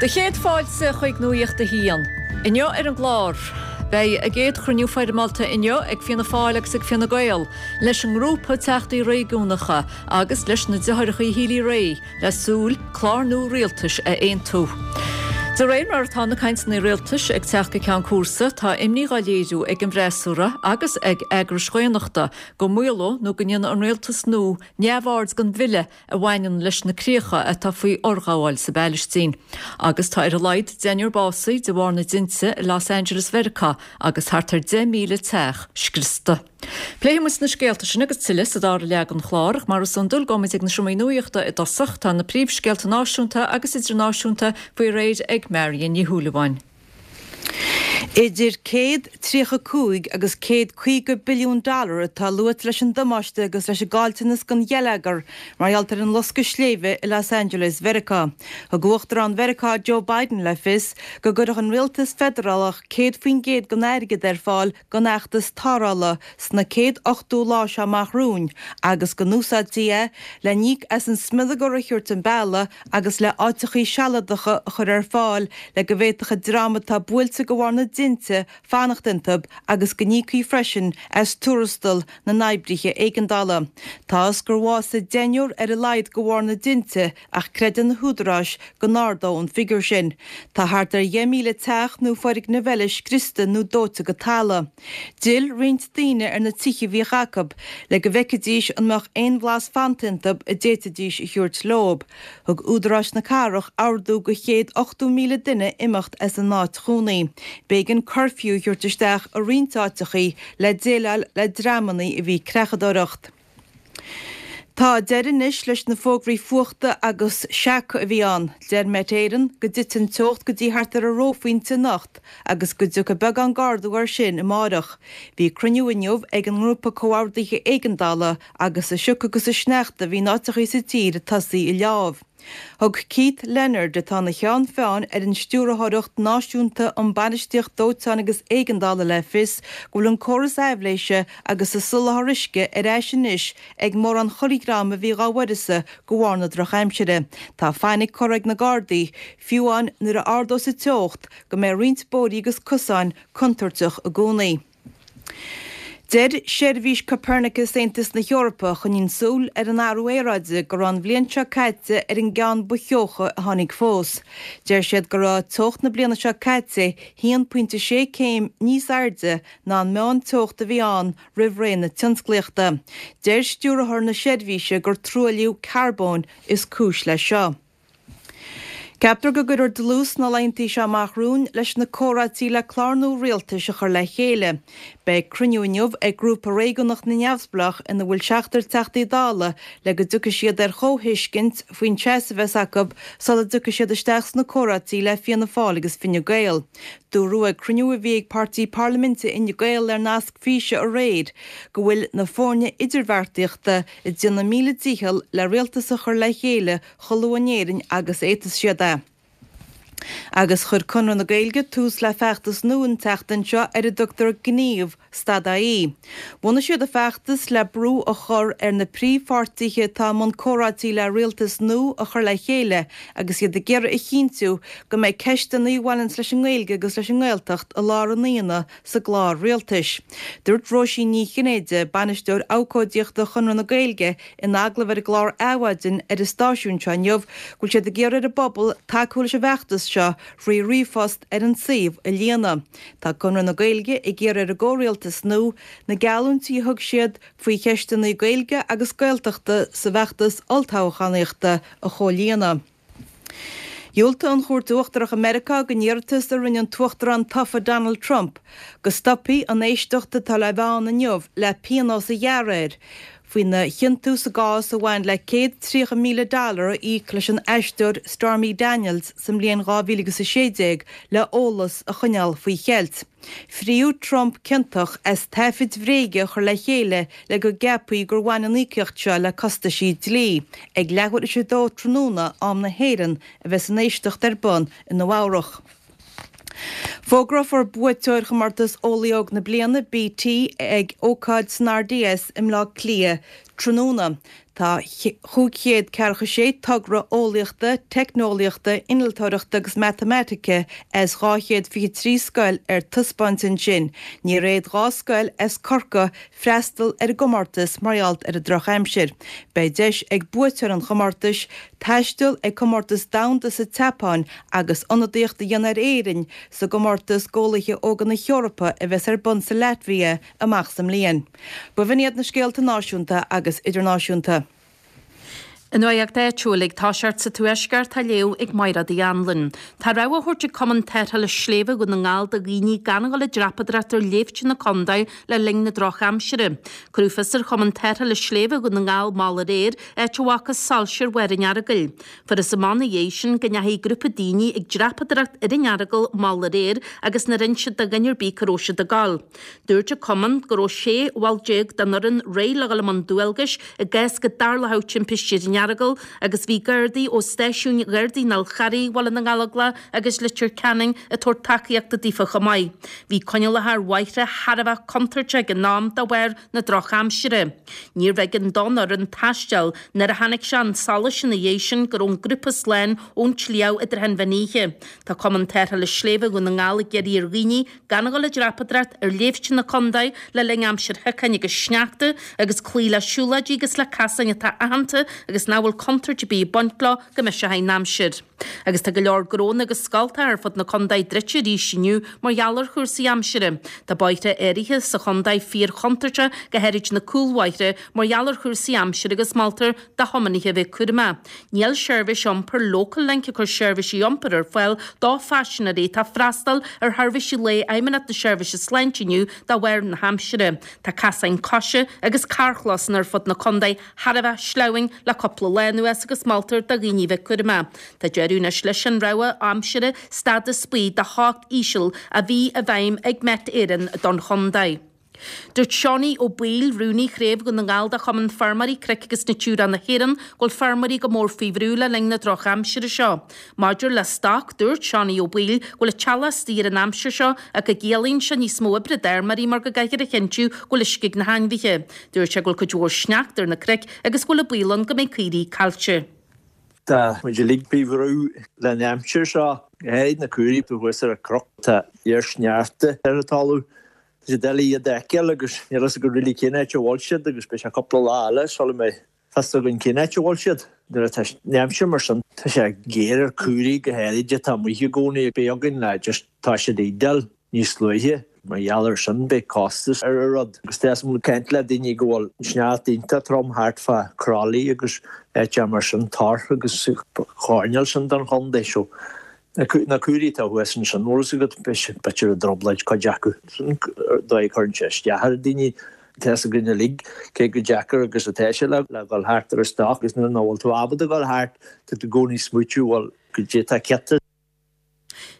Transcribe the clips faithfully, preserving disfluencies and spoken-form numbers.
Do chéad fáilte chuig Nuacht a hAon. Inniu ar an gclár. Beidh a gcéad chruinniú foirmeálta inniu ag Fianna Fáil agus ag Fine Gael, leis an ngrúpa teachtaí réigiúnacha agus leis na deartháireacha Healy-Rae le súil clár nua rialtais a aontú. De réir mar atá na cainteanna rialtais ag teacht go ceann cúrsa tá imní á léiriú ag an bhfreasúra agus ag eagrais dhaonnachta go maolódh nó go ndéanfadh an rialtas nua neamhaird den bhille a bhaineann leis na críocha atá faoi fhorghabháil sa bPalaistín. Agus tá ar a laghad deichniúr básaithe de bharr na dtinte i Los Angeles Mheiriceá agus thart ar deich míle teach scriosta. Pléifidh muid na scéalta sin agus tuilleadh sa dara leath den chlár ach mar is iondúil gabhfaimid ag na seomraí nuachta i dtosach tá na príomhscéalta náisiúnta agus idirnáisiúnta faoi réir ag Marion Ní Shúilleabháin. Idir céad tríocha cúig agus céad caoga billiún dollar atá luaite leis an damáiste agus leis an gcaillteanas don gheilleagar mar gheall ar an loscadh sléibhe i Los Angeles Mheiriceá. Thug Uachtarán Mheiriceá Joe Biden le fios go gcuirfeadh an rialtas feidearálach céad faoin gcéad den airgead ar fáil don fheachtas tarrthála sna céad ochtó lá seo amach romhainn agus go n-úsáidfí é le n-íoc as an smionagar a thabhairt an bealach agus le áiteachaí sealadacha a chur ar fáil le go bhféadfadh an dream atá buailte de bharr na dtinte fanacht iontu agus go n-íocfaí freisin as tuarastal na n-oibrithe éigeandála. Tá a fhios gur bhásaigh deichniúr ar a laghad de bharr na dtinte ach creideann na húdaráis go n-ardóidh an figiúr sin. Tá thart ar dheich míle teach nó foirgneamh eile scriosta nó dóite go talamh. D'fhill roinnt daoine ar na tithe a bhíodh acu le go bhfeicfidís an mbeadh aon bhlas fanta iontu a d'fhéadfaidís a thabhairt leo. Thug údaráis na cathrach ordú do chéad ochtó míle duine imeacht as a n-áit chónaí. B'éigean curfew a thabhairt isteach i roinnt áiteachaí le déileáil le dreamanna a bhí ag creachadóireacht. Tá deireadh anois leis na fógraí fuachta agus seaca a bhí ann. Deir Met Éireann go dtitfidh an teocht go dtí thart ar an reophointe anocht agus go dtiocfaidh beagán d'ardú air sin amárach. Bhí cruinniú inniu ag an ngrúpa comhordaithe éigeandála agus an sioc agus an sneachta a bhí in áiteachaí sa tír ag tosaí ag leámh. Thug Keith Leonard, atá ina cheann feadhain ar an Stiúrthóireacht Náisiúnta um Bainistíocht Dóiteáin agus Éigeandála le fios go bhfuil an córas aibhléise agus an soláthar uisce ar ais anois ag mórán corrdhream a bhí dhá uireasa de bharr na drochaimsire. Tá fainic curtha ag na Gardaí, fiú amháin nuair a ardós an teocht, go mbeidh roinnt bóithrí agus cosáin contúirteach i gcónaí. Deir seirbhís Copernicus Aontas na hEorpa, a choinníonn súil ar an athrú aeráide, go raibh an bhliain seo caite ar an gceann ba theocha a tháinig fós. Deir siad go raibh teocht na bliana seo caite haon pointe sé céim níos airde ná an meán-teocht a bhí ann roimh ré na tionsclaíochta. Deir stiúrthóir na seirbhíse gur truailliú carbóin is cúis leis seo. Ceaptar go gcuirfear dlús sna laethanta seo amach romhainn leis na comhráití le clár nua rialtais a chur le chéile. Beidh cruinniú inniu ag grúpa réigiúnach na neamhspleách ina bhfuil seachtar Teachtaí Dála le go dtiocfaidh siad ar chomhthuiscint faoin seasamh a bheas acu sula dtiocfaidh siad isteach sna comhráití le Fianna Fáil agus Fine Gael. Dúradh ag cruinniú a bhí ag páirtí parlaiminte Fhine Gael ar nasc físe aréir go bhfuil na foirne idirbheartaíochta ag déanamh a míle dícheall le rialtas a chur le chéile chomh luath in Éirinn agus a fhéadfas siad é. Agus chuir Conradh na Gaeilge tús le feachtas nua an tseachtain seo ar a dtugtar Gníomh, Stad AE. Bhunaigh siad an feachtas le brú a chur ar na príomhpháirtithe atá i mbun comhráití le rialtas nua a chur le chéile agus iad ag iarraidh a chinntiú go mbeidh ceisteanna a bhaineanns leis an nGaeilge agus leis an nGaeltacht i lár an aonaigh sa gclár rialtais. Dúirt Róisín Ní Chinnéide, Bainisteoir Abhcóideachta Chonradh na Gaeilge, in agallamh ar an gclár Adhmhaidin ar an stáisiún seo inniu go bhfuil siad ag iarraidh ar an bpobal tacú leis an bhfeachtas seo thrí ríomhphost ar an suíomh a líonadh. Tá Conradh na Gaeilge ag iarraidh ar an gcomhrialtas nua na geallúintí a thug siad faoi cheisteanna Gaeilge agus Gaeltachta sa bhfeachtas olltoghchánaíochta a chomhlíonadh. Dhiúltaigh an Chúirt Uachtarach i Meiriceá don iarratas a rinne an tUachtarán tofa Donald Trump go stopfaí an éisteacht atá le bheith ann inniu le pionós a ghearradh air faoina chiontú sa gcás a bhain le céad tríocha míle dollar a íoc leis an aisteoir Stormy Daniels sa mbliain dhá mhíle agus a sé déag le eolas a choinneáil faoi cheilt. Fríodh Trump ciontach as taifid bhréige a chur le chéile le go gceapfaí gur bhain an íocaíocht seo le costaisí dlí. Ag leathuair tar éis a dó tráthnóna, am na hÉireann, a bheas an éisteacht ar bun i Nua-Eabhrac. Fógrófar buaiteoir chomórtas Eolaí Óg na Bliana, BT, ag ócáid san RDS i mBleá Cliath tráthnóna. Tá chúig chéad ceathracha sé togra eolaíochta, teicneolaíochta, innealtóireachta agus matamaitice as dhá chéad fiche trí scoil ar taispeáint ansin. Níor fhéad dhá scoil as Corcaigh freastal ar an gcomórtas mar gheall ar an drochaimsir. Beidh deis ag buaiteoir an chomórtais taisteal ag comórtas domhanda sa tSeapáin agus ionadaíocht a dhéanamh ar Éirinn sa gcomórtas d'Eolaithe Óga na hEorpa a bheas ar bun sa Laitvia amach sa mbliain. B'in iad na scéalta náisiúnta agus idirnáisiúnta. An nuacht áitiúil ag toiseacht sa Tuaisceart á léamh ag Máire Uí Anluain. Tá rabhadh á thabhairt ag Cumann Tarrthála Sléibhe Dhún na nGall do dhaoine gan a dhul ag dreapadóireacht ar shléibhte na contae le linn na drochaimsire. Cuireadh fios ar Chumann Tarrthála Sléibhe Dhún na nGall mall aréir, áit a bhfacthas soilse ar bharr an Earagail. Fuarthas amach ina dhiaidh sin go ndeachaigh grúpa daoine ag dreapadóireacht ar an Earagail mall aréir agus nár inis siad do dhuine ar bith cá raibh siad ag gabháil. Dúirt an Cumann go raibh sé bhall déag den fhoireann réidh le dhul i mbun dualgais i gcás go dtarlódh timpiste ar an Earagail agus bhí Gardaí ó stáisiúin Ghardaí an Fhál Charraigh, Bhaile na nGallóglach agus Leitir Ceanainn ag tabhairt tacaíochta daofa chomh maith. Bhí coinníollacha ar bhóithre thar a bheith contúirteach ag an am de bharr na drochaimsire. Níorbh éigean don fhoireann taisteal nuair a tháinig sé chun solais ina dhiaidh sin go raibh an grúpa slán ón tsliabh i dtrátha an mheán oíche. Tá Cumann Tarrthála Sléibhe Dhún na nGall ag iarraidh ar dhaoine gan a dhul ag dreapadóireacht ar shléibhte na contae le linn aimsir shiocáin agus sneachta agus cloí le siúlóidí agus le casáin atá aitheanta agus nach bhfuil contúirt ar bith ag baint leo go mbeidh sé in aimsir. Agus tá go leor gnónna agus scoltacha ar fud na contae druidte arís inniu mar gheall ar chúrsaí aimsire. Tá bóithre áirithe sa chontae fíorchontúirteach, go háirid na cúlbhóithre, mar gheall ar chúrsaí aimsire agus moltar do thiománaithe a bheith cúramach. Níl seirbhís iompair Local Link ag cur seirbhísí iompair ar fáil do phaisinéirí atá ag freastal ar sheirbhísí lae Fheidhmeannacht na Seirbhíse Sláinte inniu de bharr na haimsire. Tá casáin coise agus carrchlósanna ar fud na contae thar a bheith sleamhain le cúpla lá anuas agus moltar do dhaoine bheith cúramach. Tá deireadh anois leis an rabhadh aimsire stádas buí de theocht íseal a bhí i bhfeidhm ag Met Éireann don chontae. Dúirt Seánie Ó Baoill, rúnaí Chraobh Dhún na nGall de Chumann Feirmeoirí Cnoic agus Natura na hÉireann, go bhfuil feirmeoirí go mór faoi bhrú le linn na drochaimsire seo. Maidir le stoc, dúirt Seánie Ó Baoill go bhfuil an t-eallach istigh ar an aimsir seo ach go gciallaíonn sé níos mó oibre d'fheirmeoirí mar go gcaithfear a chinntiú go bhfuil uisce ag na hainmhithe. Dúirt sé go bhfuil cuid mhór sneachta ar na cnoic agus go bhfuil an baol ann go mbeidh caoirigh caillte. Tá muid uilig faoi bhrú leis an aimsir seo. Go háirid na caoirigh thuas ar an gcnoc, tá fíorsneachta ar an talamh. Tá sé doiligh iad a fheiceáil agus níl fhios againn really cén áit a bhfuil siad agus beidh sé cúpla lá eile sula mbeidh fios againn cén áit a bhfuil siad. Nuair atá an aimsir mar sin, tá sé géar ar caoirigh go háirid atá amuigh i gcónaí. Beidh againn le just tá siad ag dul níos luaithe. Mar gheall ar sin beidh costas ar an rud. Agus tá mé ag caint le daoine go bhfuil sneachta iontach trom thart fá Crolly agus áiteacha mar sin, Torc agus choirnéal sin den chontae. So Na caoirigh atá thuas ansin, bhfuil fhios agat, b'fhéidir i dtrioblóid cuid acu. Sin dóigh a chuireann sé isteach ar dhaoine. Tá fhios againn uilig cé chomh deacair agus atá sé le dhul thart ar an stoc agus nuair nach bhfuil tú ábalta dhul thart, tá tú i gcónaí ag smaoitiú, bhuel, goidé atá cionta.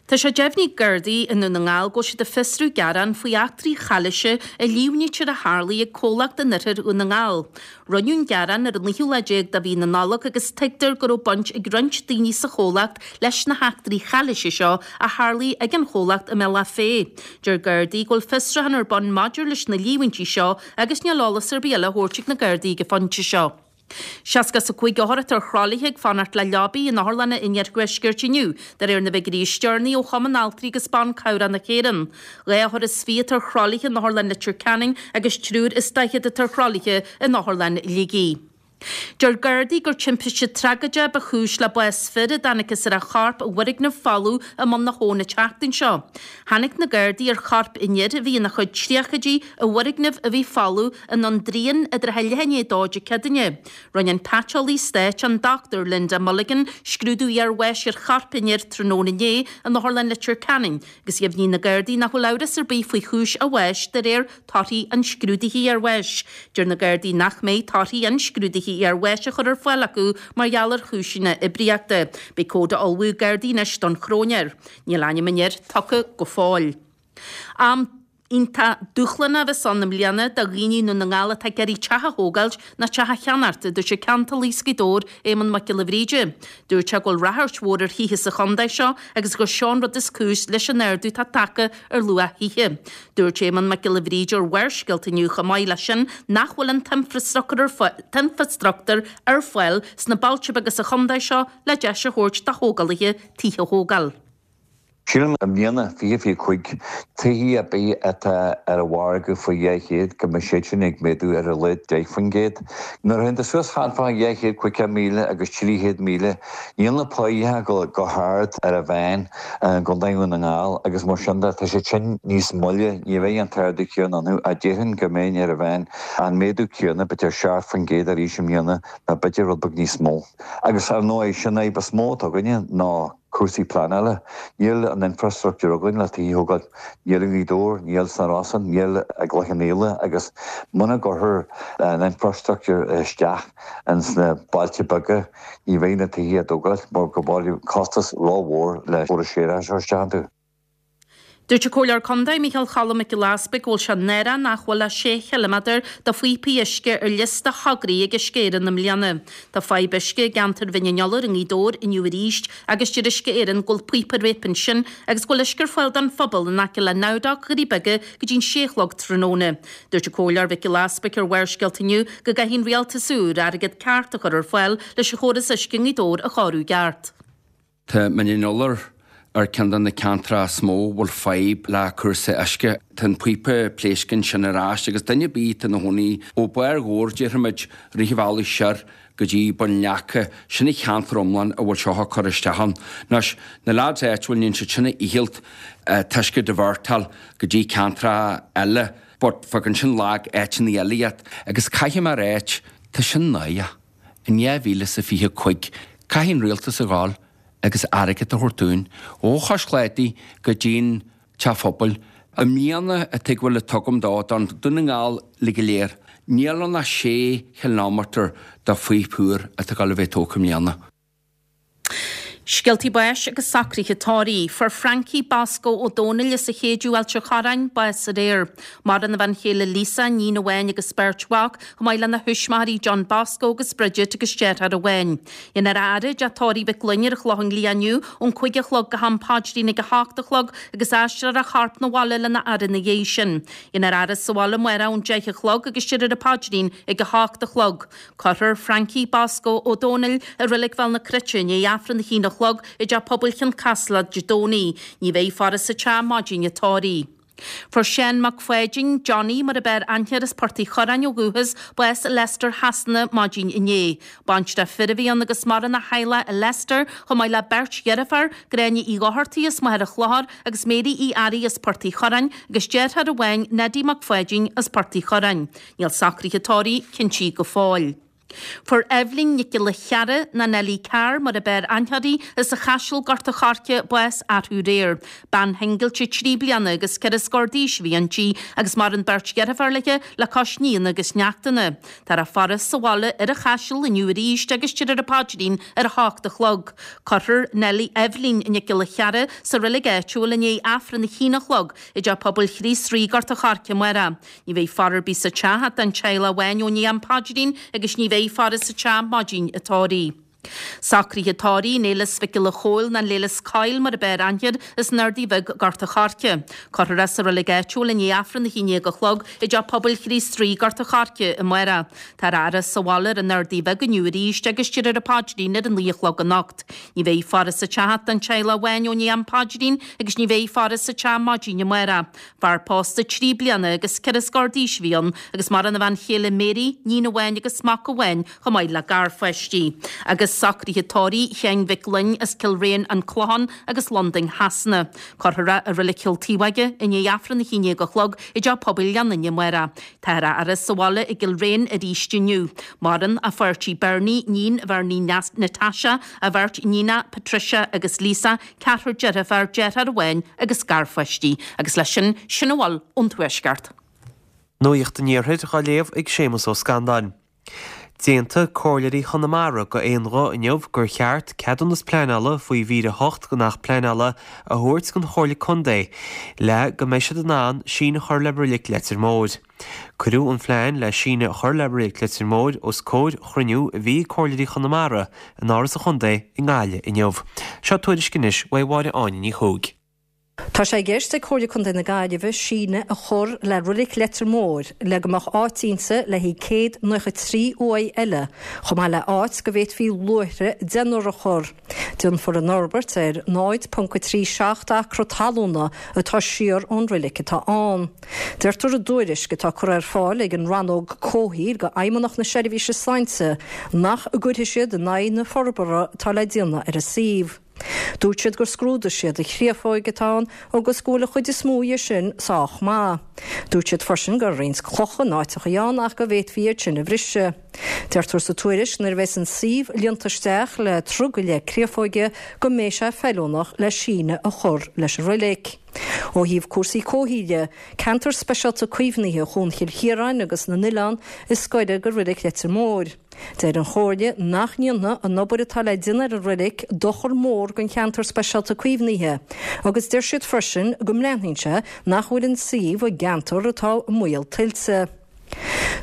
Tá sé deimhnithe ag Gardaí i nDún na nGall go bhfuil siad ag fiosrú gearán faoi eachtraí chalaoise a líomhnaítear a tharlaigh ag comhlacht in oirthear Dhún na nGall. Rinneadh an gearán ar an naoú lá déag de mhí na Nollag agus tuigtear go raibh baint ag roinnt daoine sa chomhlacht leis na heachtraí chalaoise seo a tharlaigh ag an chomhlacht i mBealach Féich. Deir Gardaí go bhfuil fiosrúchán ar bun maidir leis na líomhaintí seo agus níl eolas ar bith eile á thabhairt ag na Gardaí ag an phointe seo. Seasca is a cúig othar atá ar thralaithe ag fanacht le leabaí in otharlanna an iarthuaiscirt inniu, de réir na bhfigiúirí is deireanaí ó Chumann Altraí agus Ban Cabhrach na hÉireann. Dhá othar is fiche atá ar thralaithe in Otharlann Leitir Ceanainn agus triúr is daichead atá ar thralaithe in Otharlann Shligigh. Deir Gardaí gur timpiste tragóideach ba chúis le bás fir a dtángthas ar a chorp i bhfoirgneamh folamh i mBun na hAbhann an tseachtain seo. Tháinig na Gardaí ar chorp an fhir, a bhí ina chuid tríochaidí, i bhfoirgneamh a bhí folamh i nDún Dríon i dtrátha leath i ndiaidh a dó Dé Céadaoine. Rinne an Paiteolaí Stáit, an Dochtúir Linda Mulligan, scrúdú iarbháis ar chorp an fhir tráthnóna inné in Otharlann Leitir Ceanainn agus dheimhnigh na Gardaí nach bhfuil amhras ar bith faoi chúis a bháis de réir torthaí an scrúdaithe iarbháis. Deir na Gardaí nach mbeidh torthaí an scrúdaithe iarbháis á chur ar fáil acu mar gheall ar chúiseanna oibríochta. Beidh comhad á ullmhú ag Gardaí anois don chróinéir. Níl ainm an fhir tugtha go fóill. Am iontach dúshlánach a bheas ann i mbliana do dhaoine i nDún na nGall atá ag iarraidh teach a thógáilt nó teach a cheannacht, a dúirt an ceantálaí as Gaoth Dobhair, Éamonn Mac Giolla Bhríde. Dúirt sé go bhfuil ráchairt mhór ar thithe sa chontae seo agus gur seo an rud is cúis leis an ardú atá tagtha ar luach thithe. Dúirt Éamonn Mac Giolla Bhríde ar Bharrscéalta inniu chomh maith leis sin nach bhfuil an t-infreastruchtúr ar fáil sna bailte beaga sa chontae seo le deis a thabhairt do thógálaithe tithe a thógáil. Sílim i mbliana fiche fiche cúig tithe ar bith atá ar an mhargadh faoi dhá chéad go mbeidh siad sin ag méadú ar a laghad deich faoin gcéad. Nuair a théann tú suas thart fá dhá chéad caoga míle agus trí chéad míle, níl na páighe go go hard ar an mheán i gContae Dhún na nGall agus mar sin de tá siad sin níos moille, ní bheidh an t-ardú céanna iontu ach déarfainn go mbeidh ar an mheán an méadú céanna b'fhéidir seacht faoin gcéad arís i mbliana nó b'fhéidir rud beag níos mó. Agus ar ndóigh sin an fhadhb is mó atá againne ná cúrsaí pleanála. Níl an infrastructúr againn le tithe a thógáil. Níl i nGaoth Dobhair, níl sna Rosann, níl i gCloich Cheann Fhaola agus muna gcuirfear an infrastructúr isteach ins na bailte beaga ní bheidh na tithe á dtógáil mar go bhfuil costas rómhór le córas séarachais a chur isteach iontu. Dúirt an Comhairleoir Contae Micheál Cholm Mac Giolla Easbuig go bhfuil sé náireach nach bhfuil ach sé chiliméadar de phíopaí uisce ar liosta thograí ag Uisce Éireann i mbliana. Tá fadhb uisce i gceantar Bhinn an Iolair i nGaoth Dobhair inniu arís agus deir Uisce Éireann go bhfuil píopa ar réip ansin agus go bhfuil uisce ar fáil don phobal in aice le Nowdoc, Dhoirí Beaga go dtí'n sé a chlog tráthnóna. Dúirt an Comhairleoir Mhic Giolla Easbuig ar Bharrscéalta inniu go gcaithfidh an rialtas úr airgead ceart a chur ar fáil leis an chóras uisce i nGaoth Dobhair a chóiriú i gceart. Tá Mín an Iolair ar ceann de na ceantracha is mó a bhfuil fadhb le cúrsaí uisce. Tá an píopa pléasctha ansin ar ais agus duine ar bith atá ina chónaí ó Barr Dhobhair, déarfaimid, rith an bhealaigh siar go dtí Bun Leaca, sin an cheantar iomlán a bhfuil seo ag cur isteach ann. Anois, na lads áitiúil, níonn siad sin a fhicheallt t-uisce a divertáil go dtí ceantracha eile but fágann sin lag áiteanna eile iad. Agus caithfidh mé a ráit, tá sin náireach. In dhá mhíle is a fiche cúig, caithfidh an rialtas a ghabháil agus airgead a thabhairt dúinn, ó Chois Cláidí go dtí'n Teach Phobail. I mbliana an tuigbheáil a tugaim dó, don Dún na nGall uilig go léir, níl ann ach sé chileámeatar de phíopa úr atá ag dul a bheith tógtha i mbliana. Scéaltaí báis agus socruithe tórraimh. Fuair Frankie Bosco Ó Dónaill as an Chéideadh, Ailt an Chorráin, bás aréir. Maireann a bhean chéile Lisa, níon amháin agus beirt mhac, chomh maith lena thuismitheoirí John Bosco agus Bridget agus deartháir amháin. Déanfar a fhaire i dteach tórraimh Mhic Fhloinn ar an Chlochán Liath inniu ón cúig a chlog go ham paidrín ag a hocht a chlog agus aistreofar a chorp 'na bhaile lena fhaire ina dhiaidh sin. Déanfar a fhaire sa bhaile amárach ón deich a chlog agus déarfar an paidrín ag a hocht a chlog. Cuirfear Frankie Bosco Ó Dónaill i Reilig Bhéal na Cruite i ndiaidh Aifreann a haon a chlog i dTeach Pobail Chionn Caslach Dé Domhnaigh. Ní bheidh faire sa teach maidin an tórraimh. Fuair Seán Mac Pháidín, Johnny mar a b'fhearr aithne air as Port Uí Churráin ó dhúchas, bás i Leicester Shasana maidin inné. Baintreach fir a bhí ann agus maireann a theaghlach i Leicester chomh maith le beirt dheirfiúr, Gráinne Uí Dhochartaigh as Machaire Chlochair agus Mary Uí Fhearraigh as Port Uí Churráin agus deartháir amháin, Neddy Mac Pháidín as Port Uí Churráin. Níl socruithe tórraimh cinntithe go fóill. Fuair Eibhlín Nic Giolla Chearra, nó Nellie Carr mar a b'fhearr aithne uirthi, as an Chaiseal, Gort an Choirce, bás arú aréir. Bean shingilte trí bliana agus ceithre scór d'aois a bhí inti agus maireann beirt dheirfiúr léi le cois nianna agus neachtanna. Táthar á faire sa bhaile ar an Chaiseal inniu arís agus déarfar an paidrín ar a hocht a chlog. Cuirfear Nellie Eibhlín Nic Giolla Chearra sa reilig áitiúil i ndiaidh Aifreann a haon a chlog i dTeach Pobail Chríost Rí, Gort an Choirce amárach. Ní bheidh faire ar bith sa teach ach don teaghlach amháin ó ndiaidh an paidrín agus ní bheidh faire sa teach maidin an tórraimh. Socruithe tórraimh Néileas Mhic Giolla Chóill nó Léileas Coyle mar a b'fhearr aithne air as an Ardaidh Bheag, Gort an Choirce. Cuirfear é sa reilig áitiúil i ndiaidh Aifreann a haon déag a chlog i dTeach Pobail Chríost Rí, Gort an Choirce, amárach. Táthar á fhaire sa bhaile ar an Ardaidh Bheag inniu arís agus déarfar an paidrín ar a naoi a chlog anocht. Ní bheidh faire sa teach ach don teaghlach amháin ó ndiaidh am paidrín agus ní bheidh faire sa teach maidin amárach. Fear pósta trí bliana agus ceithre scór d'aois a bhí ann agus maireann a bhean chéile Mary, níon amháin agus mac amháin chomh maith le garpháistí. Agus socruithe tórraimh Sheáin Mhic Fhloinn as Cill Réan, An Clochán agus Londain Shasana. Cuirfear é i Reilig Chill Taobhóige i ndiaidh Aifreann a haon déag a chlog i dTeach Pobail Ghleann Fhinne amárach. Táthar á fhaire sa bhaile i gCill Réan arís inniu. Maireann a pháirtí Bernie, níon Bhernie Natasha, a bheirt níonacha Patricia agus Lisa, ceathrar deirfiúr, deartháir amháin agus garpháistí. Agus leis sin, sin a bhfuil ón Tuaisceart. Nuacht an Iarthair á léamh ag Séamus Ó Scanláin. D'aontaigh Comhairleoirí Chonamara d'aon ghuth inniu gur cheart ceadúnas pleanála faoi mhír a hocht den Acht Pleanála a thabhairt don Chomhairle Contae le go mbeidh siad in ann síneadh a chur le Reilig Leitir Móir. Cuireadh an phlean le síneadh a chur le Reilig Leitir Móir os comhair chruinniú a bhí ag Comhairleoirí Chonamara in Áras an Chontae i nGaillimh inniu. Seo tuairisc anois uaidh Mháire Áine Ní Chuaig. Tá sé i gceist ag Comhairle Contae na Gaillimhe síneadh a chur le Reilig Leitir Móir le go mbeadh áit inti le haghaidh céad nócha trí uaigh eile, chomh maith le áit go bhféadfaí luaithre deichniúr a chur. Déanfar an fhorbairt ar náid ponc a trí seacht acra talúna atá siar ón reilig atá ann. Deirtear i dtuairisc atá curtha ar fáil ag an Rannóg Comhshaoil go Fheidhmeannacht na Seirbhíse Sláinte nach gcuirfidh siad in aghaidh na forbartha atá le déanamh ar an suíomh. Dúirt siad gur scrúdaigh siad an chréafóig atá ann agus go bhfuil an chuid is mó dhe sin sách maith. Dúirt siad freisin go raibh roinnt clocha in áiteachaí ann ach go bhféadfaí iad sin a bhriseadh. Deirtear sa tuairisc nuair a bheas an suíomh líonta isteach le troigh go leith créafóige go mbeidh sé feiliúnach le síneadh a chur leis an reilig. Ó thaobh cúrsaí comhshaoil de, ceantar speisialta caomhnaithe Chuan Chill Chiaráin agus na nOileán is gaire do Reilig Leitir Móir. Deir an Chomhairle nach ndéanfaidh an obair atá le déanamh ar an reilig dochar mór don cheantar speisialta caomhnaithe agus deir siad freisin go mbreathnaíonn sé nach bhfuil an suíomh i gceantar atá i mbaol tuilte.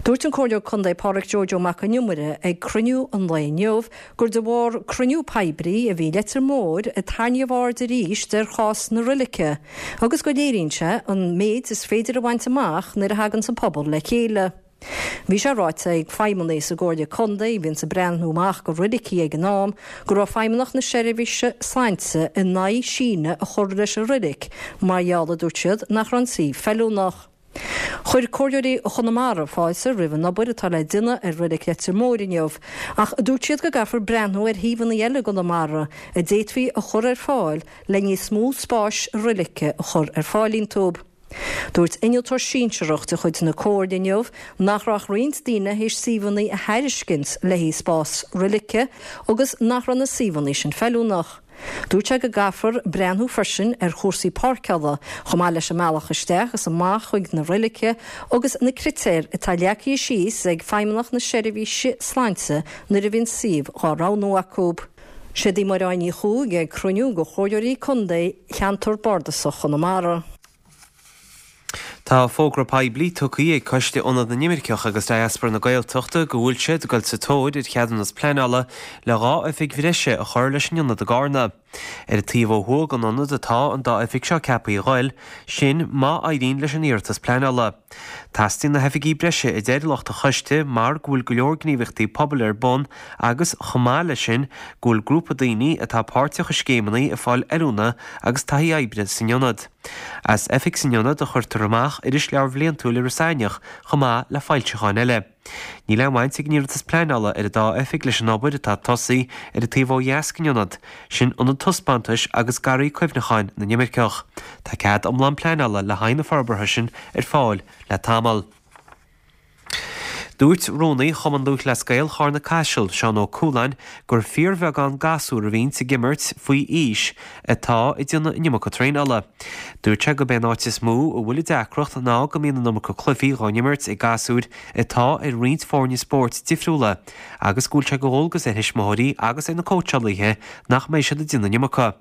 Dúirt an Comhairleoir Contae Pádhraic Joe Joe Mac an Iomaire ag cruinniú an lae inniu gur de bharr cruinniú poiblí a bhí i Leitir Móir a tarraingíodh aird arís ar chás na roilice agus go léiríonn sé an méid is féidir a bhaint amach nuair a thaganns an pobal le chéile. Bhí sé ráite ag feidhmeannaigh sa gComhairle Contae a bhíonns ag breathnú amach go roilicí ag an am go raibh Feidhmeannacht na Seirbhíse Sláinte in aghaidh síneadh a chur leis an roilic mar gheall, a dúirt siad, nach raibh an suíomh feiliúnach. Chuir Comhairleoirí Chonamara fáilte roimh an obair atá le déanamh ar Reilig Leitir Móir inniu ach dúirt siad go gcaithfear breathnú ar shuíomhanna eile i gConamara a d'fhéadfaí a chur ar fáil le níos mó spáis roilice a chur ar fáil iontu. Dúirt innealtóir sinsearach de chuid na Comhairle inniu nach raibh ach roinnt daoine théis suíomhanna a thairiscint le haghaidh spás roilice agus nach raibh na suíomhanna sin feiliúnach. Dúirt sé go gcaithfear breathnú freisin ar chúrsaí páirceála, chomh maith leis an mbealach isteach is amach chuig na roilice agus na critéir atá leagtha síos ag Feidhmeannacht na Seirbhíse Sláinte nuair a bhíonn suíomh dhá roghnú acu. Siod í Máire Áine Ní Chuaig ag cruinniú de Chomhairleoirí Contae Cheantar Bardasach Chonamara. Tá fógra poiblí tugtha ag Coiste Ionad na nImirceach agus Diaspora na Gaeltachta go bhfuil siad ag dul sa tóir ar cheadúnas pleanála le dhá oifig bhreise a chur leis an ionad i gCarna. Ar an taobh ó thuaidh den ionad atá an dá oifig seo ceaptha a ghoil, sin má éiríonn leis an iarratas pleanála. Teastaíonn na hoifigí breise a deir lucht an choiste mar go bhfuil go leor gníomhaíochtaí pobail ar bun agus chomh maith leis sin go bhfuil grúpa daoine atá páirteach i scéimeanna ag fáil oiliúna agus taithí oibre san ionad. As oifig san ionad a chuirtear amach irisleabhar bhliantúil Iorras Aithneach chomh maith le foilseacháin eile. Níl aon bhaint ag an iarratas pleanála ar an dá oifig leis an obair atá tosaithe ar an taobh ó dheas den ionad, sin ionad taispeántais agus garraí cuimhneacháin na n-imirceach. Tá cead iomlán pleanála le haghaidh na forbartha sin ar fáil le tamall. Dúirt Rúnaí Chumann Lúthchleas Gael Charna-Caiseal, Seán Ó Cualáin, gur fíorbheagán gasúr a bhíonns ag imirt faoi aois atá ag déanamh an iomarca traenála. Dúirt sé gurb é an áit is mó a bhfuil an deacracht ná go mbíonn an iomarca cluichí dhá n-imirt ag gasúir atá ar roinnt foirne spóirt difriúla agus go bhfuil sé de dhualgas ar thuismitheoirí agus ar na cóitseálaithe nach mbeidh siad ag déanamh an iomarca.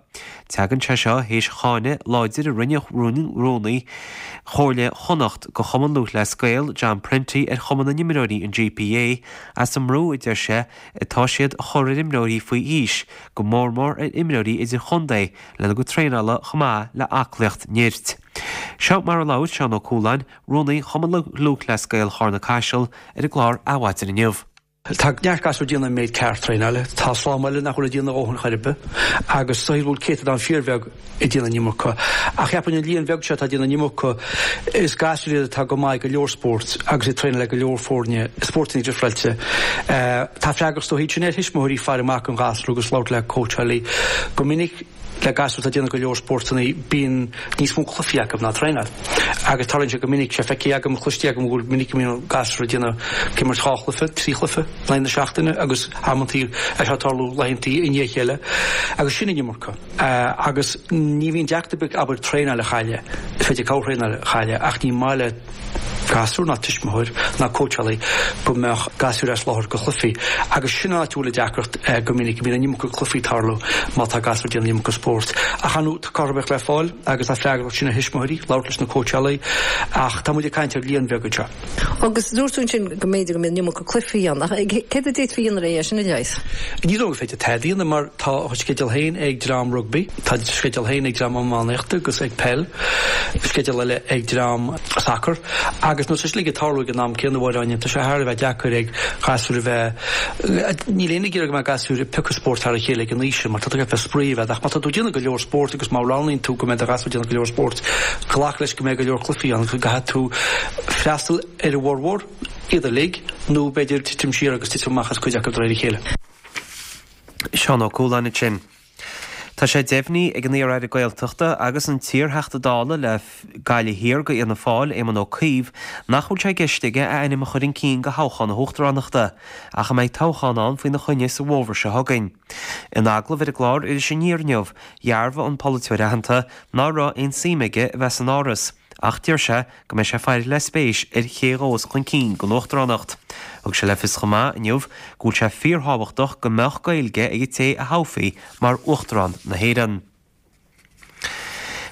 Tagann sé seo théis cháineadh láidir a rinne Rúnaí Chomhairle Chonnacht do Chumann Lúthchleas Gael, John Prenty, ar Chumann na nImreoirí, an GPA, as an mbrú a deir sé atá siad a chur ar imreoirí faoi aois, go mór mór ar imreoirí idirchontae, lena gcuid traenála chomh maith le aclaíocht nirt. Seo mar a labhair Seán Ó Cualáin, Rúnaí Chumann Lúthchleas Gael Charna-Caiseal, ar an gclár Adhmhaidin inniu. Tá neart gasúr ag déanamh an méid ceart traenála. Tá slám eile nach bhfuil ag déanamh a dhóthain chor ar bith agus is dóigh go bhfuil céatadán fíorbheag ag déanamh an iomarca. Ach cheapfainn an líon bheag seo atá ag déanamh an iomarca, is gasúir iad atá go maith ag go leor spóirt agus ag traenáil le go leor foirne, spórtanna difreáilte. Tá freagracht is dóigh sin ar thuismitheoirí faire amach don ghasúr agus labhairt le cóitseálaí. Go minic. Le gasúir atá ag déanamh go leor spórtanna bíonn níos mó cluichí acu ná traenáil. Agus tarlaíonn sé go minic, sé feicthe agam, cloiste agam go bhfuil minic go mbíonn gasúir ag déanamh, ag imirt dhá chluiche, trí chluiche in aghaidh na seachtaine agus amantaí é seo ag tarlú laethantaí i ndiaidh a chéile. Agus sin an iomarca. Agus ní bhíonn deacracht ar bith abair traenáil a chailleadh, is féidir corrthraenáil a chailleadh ach ní maith le gasúr ná tuismitheoir ná cóitseálaí go mbeadh gasúir as láthair go chluichí agus sin an áit a bhfuil an deacracht go minic go mbíonn an iomarca cluichí ag tarlú má tá gasúir ag déanamh an iomarca spóirt. Ach ar ndóigh tá cothromaíocht le fáil agus tá freagracht sin ar thuismitheoirí labhairt leis na cóitseálaí ach tá muid ag caint ar líon bheag anseo. Agus dúirt tú ansin go mb'fhéidir go mbíonn an iomarca cluichí ann ach céard a d'fhéadfaí a dhéanamh é sin a leigheas? Ní dóigh gur féidir tada a dhéanamh mar tá a sceideal féin ag dream rugbaí, tá sceideal féin ag dream iománaíochta agus ag peil, sceideal eile ag dream sacair agus nuair atá sé uilig ag tarlú ag an am céanna a Mháire Áine, tá sé thar a bheith deacair ag gasúir a bheith, níl éinne ag iarraidh go mbeadh gasúir ag piocadh spórt thar a chéile ag an aois sin mar tá tú ag bheith spraoi a bheith ach má tá tú ag déanamh go leor spóirt agus má roghnaíonn tú go mbeidh do ghasúr ag déanamh go leor spóirt, glac leis go mbeidh go leor cluichí ann agus go gcaithfidh tú freastal ar a bhformhór, iad uilig, nó b'fhéidir titim siar agus titim amach as cuid acu de réir a chéile. Seán Ó Cualáin ansin. Tá sé deimhnithe ag an iar-aire Gaeltachta agus an t-iar-Theachta Dála le Gaillimh Thiar go Fhianna Fáil, Éamon Ó Cuív, nach bhfuil sé i gceist aige a ainm a chur chun cinn go thoghchán na hUachtaránachta, ach a mbeidh toghchán ann faoina choinne sa bhfómhar seo chugainn. In agallamh ar an gclár Iris Aniar inniu, dhearbhaigh an polaiteoir aitheanta ná raibh aon suim aige a bheith san Áras, ach deir sé go mbeidh sé ag faire le spéis ar ché a ghabhfas chun cinn don Uachtaránacht. Thug sé le fios chomh maith inniu go bhfuil sé fíorthábhachtach go mbeadh Gaeilge ag an té a thoghfaí mar Uachtarán na hÉireann.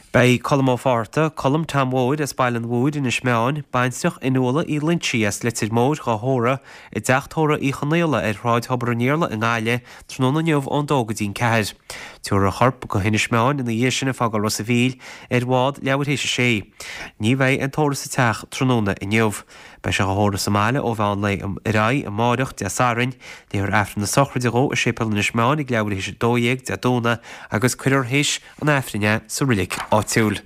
Beidh Colm Ó Fátharta, Colm Tom Mhóir as Baile an Mhúir, Inis Meáin, baintreach Fhionnuala Uí Loinsigh as Leitir Móir dhá thórramh i dteach tórraimh Uí Chonaola ar Shráid Thobar an Iarla i nGaillimh tráthnóna inniu ón dó go dtí'n ceathair. Tabharfar a chorp go hInis Meáin ina dhiaidh sin ag fágáil Ros a' Mhíl ar bhád leathuair théis a sé. Ní bheidh aon tórramh sa teach tráthnóna inniu. Beidh sé dhá thórramh sa mbaile ó mheán lae ar aghaidh amáireach, Dé Sathairn. Léifear Aifreann na sochraide dhó i Séipéal Inis Meáin ag leathuair théis a dó dhéag Dé Domhnaigh agus cuirfear théis an Aifrinn é sa reilig áitiúil.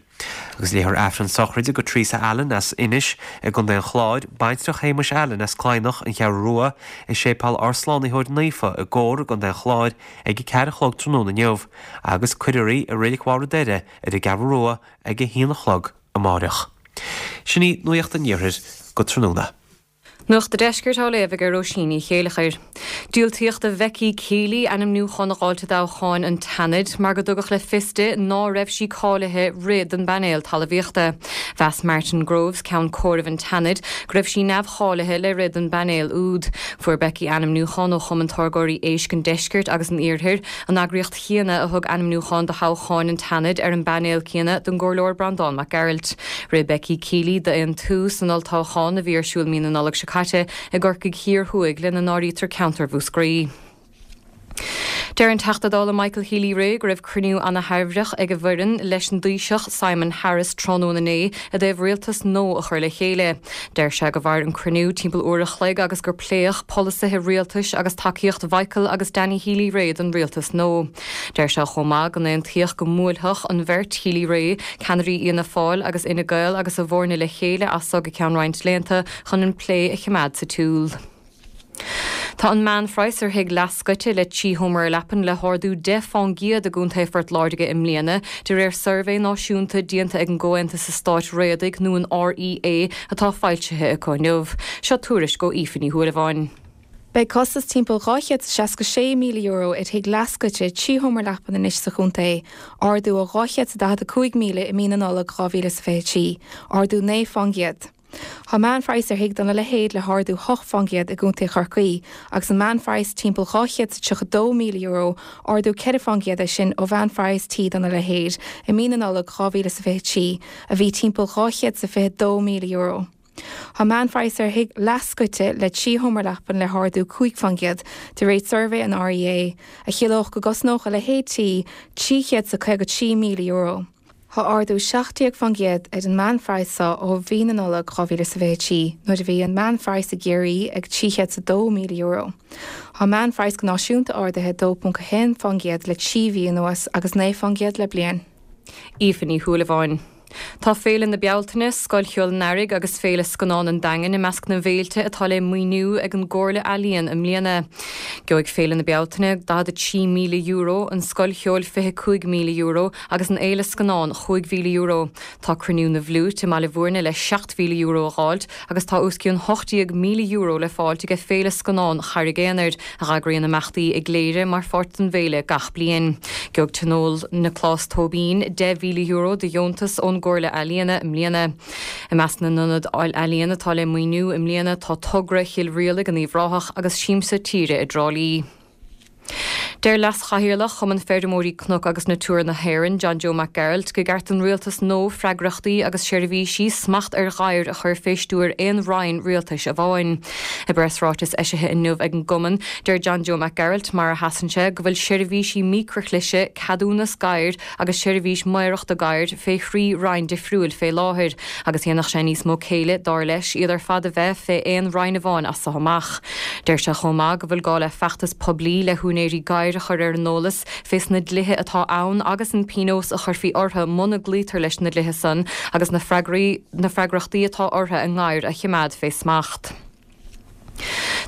Agus léifear Aifreann sochraide go Teresa Allen as Inis i gContae an Chláir, baintreach Shéamuis Allen as Cladhnach, An Cheathrú Rua, i Séipéal Ár Slánaitheoir Naofa i gCór i gContae an Chláir ag a ceathair a chlog tráthnóna inniu, agus cuirfear í i Reilig Bharr an Doire ar an gCeathrú Rua ag a haon a chlog amáireach. Sin í Nuacht an Iarthair go tráthnóna. Nuacht an Deiscirt á léamh ag Róisín Ní Chéileachair. Diúltaíodh do Bhecky Keeley ainmniúchán a dh'fháilt i dtoghchán an tSeanaid mar go dtugadh le fios di ná raibh sí cáilithe rith don bpainéal talmhaíochta. Mheas Martin Groves, ceann comhairimh an tSeanaid, go raibh sí neamhcháilithe le rith don bpainéal úd. Fuair Becky ainmniúchán ó Chumann Táirgeoirí Éisc an Deiscirt agus an Iarthair, an eagraíocht chéanna a thug ainmniúchán do thoghcháin an tSeanaid ar an bpainéal céanna don gComhairleoir Breandán Mac Gearailt. Rith Becky Keeley d'Aontú san olltoghchán a bhí ar siúl mí na Nollag seo caite i gCorcaigh Thiar Thuaidh lena n-áirítear ceantar Mhúscraí. Deir an Teachta Dála Michael Healy-Rae go raibh cruinniú ana-thairbheach ag a bhfoireann leis an dTaoiseach Simon Harris tráthnóna inné i dtaobh rialtas nua a chur le chéile. Deir sé go mhair an cruinniú timpeall uair a chloig agus gur pléadh polasaithe rialtais agus tacaíocht Mhichael agus Danny Healy-Rae don rialtas nua. Deir sé chomh maith go n-aontaíodh go mbuailfeadh an bheirt Healy-Rae, ceannairí Fhianna Fáil agus Fhine Gael agus a bhfoirne le chéile as so go ceann roinnt laethanta chun an plé a choimeád sa tsiúl. Tá an meánphraghas ar thigh leathscoite le trí sheomra leapan le hardú deich fán gcéad i gContae Phort Láirge i mbliana, de réir suirbhé náisiúnta déanta ag an gComhaontas Eastáit Réadaigh nó an REA atá foilsithe acu inniu. Seo tuairisc ó Aoife Ní Shúilleabháin. Beidh costas timpeall dhá chéad is seasca sé míle euro ar thigh leathscoite trí sheomra leapan anois sa chontae, ardú ó dhá chéad is daichead a cúig míle i mí na Nollag dhá mhíle is fiche trí, ardú naoi fán gcéad. Tá meánphraghas ar thigh dona leithéid le hardú hocht fán gcéad i gContae Chorcaí, agus an meánphraghas timpeall dhá chéad is tríocha dó míle euro, ardú ceithre fán gcéad é sin ó mheánphraghas tí dona leithéid i mí na Nollag dhá mhíle is fiche trí, a bhí timpeall dhá chéad is fiche dó míle euro. Tá meánphraghas ar thigh leathscoite le trí sheomra leapan le hardú cúig fán gcéad, de réir suirbhé an REA, a chiallódh go gcosnódh a leithéid tí trí chéad is caoga trí míle euro. Tá ardú seacht déag fán gcéad ar an meánphraghas seo ó mhí na Nollag dhá mhíle is fiche trí, nuair a bhí an meánphraghas i gCiarraí ag trí chéad is a dó míle euro. Tá an meánphraghas go náisiúnta ardaithe dó ponc a haon fán gcéad le trí mhí anuas agus naoi fán gcéad le bliain. Aoife Ní Shúilleabháin. Tá Féile na Bealtaine, Scoil Cheoil an Earraigh agus Féile Scannán an Daingin i measc na bhféilte atá le maoiniú ag an gComhairle Ealaíon i mbliana. Gheobhaidh Féile na Bealtaine daichead a trí míle euro, an Scoil Cheoil fiche cúig míle euro agus an Fhéile Scannán chúig mhíle euro. Tá Cruinniú na bhFliúit i mBaile Bhúirne le seacht mhíle euro a dh'fháilt agus tá os cionn hocht déag míle euro le fáilt aige Féile Scannán Charraig Aonair, a dh'eagraíonn imeachtaí i gCléire mar pháirt den bhféile gach bliain. Gheobhaidh Tionól Nioclás Tóibín deich mhíle euro de dheontas ón gComhairle Ealaíona i mbliana. I measc na n-ionad ealaíon atá le maoiniú i mbliana tá Togra Chill Rialaig in Uíbh Ráthach agus Siamsa Tíre i dTrá Lí. Deir Leas-Chathaoirleach Chumann Feirmeoirí Cnoc agus Natura na hÉireann, John Joe Mac Gearailt, go gceart don rialtas nua freagrachtaí agus seirbhísí smacht ar ghadhair a chur fé stiúir aon roinn rialtais amháin. I bpreasráiteas eisithe inniu ag an gcumann, deir John Joe Mac Gearailt, mar a sheasann sé, go bhfuil seirbhísí micreachlise, ceadúnas gadhair agus seirbhís maorachta gadhair fé thrí roinn difriúil fé láthair agus dhéanfadh sé níos mó céille, dar leis, iad ar fad a bheith fé aon roinn amháin as so amach. Deir sé chomh maith go bhfuil gá le feachtas poiblí le húinéirí gadhair a chur ar an eolas fés na dlíthe atá ann agus an pionós a chuirfí orthu muna gcloítear leis na dlíthe san agus na freagraí na freagrachtaí atá orthu a ngadhair a chimeád fé smacht.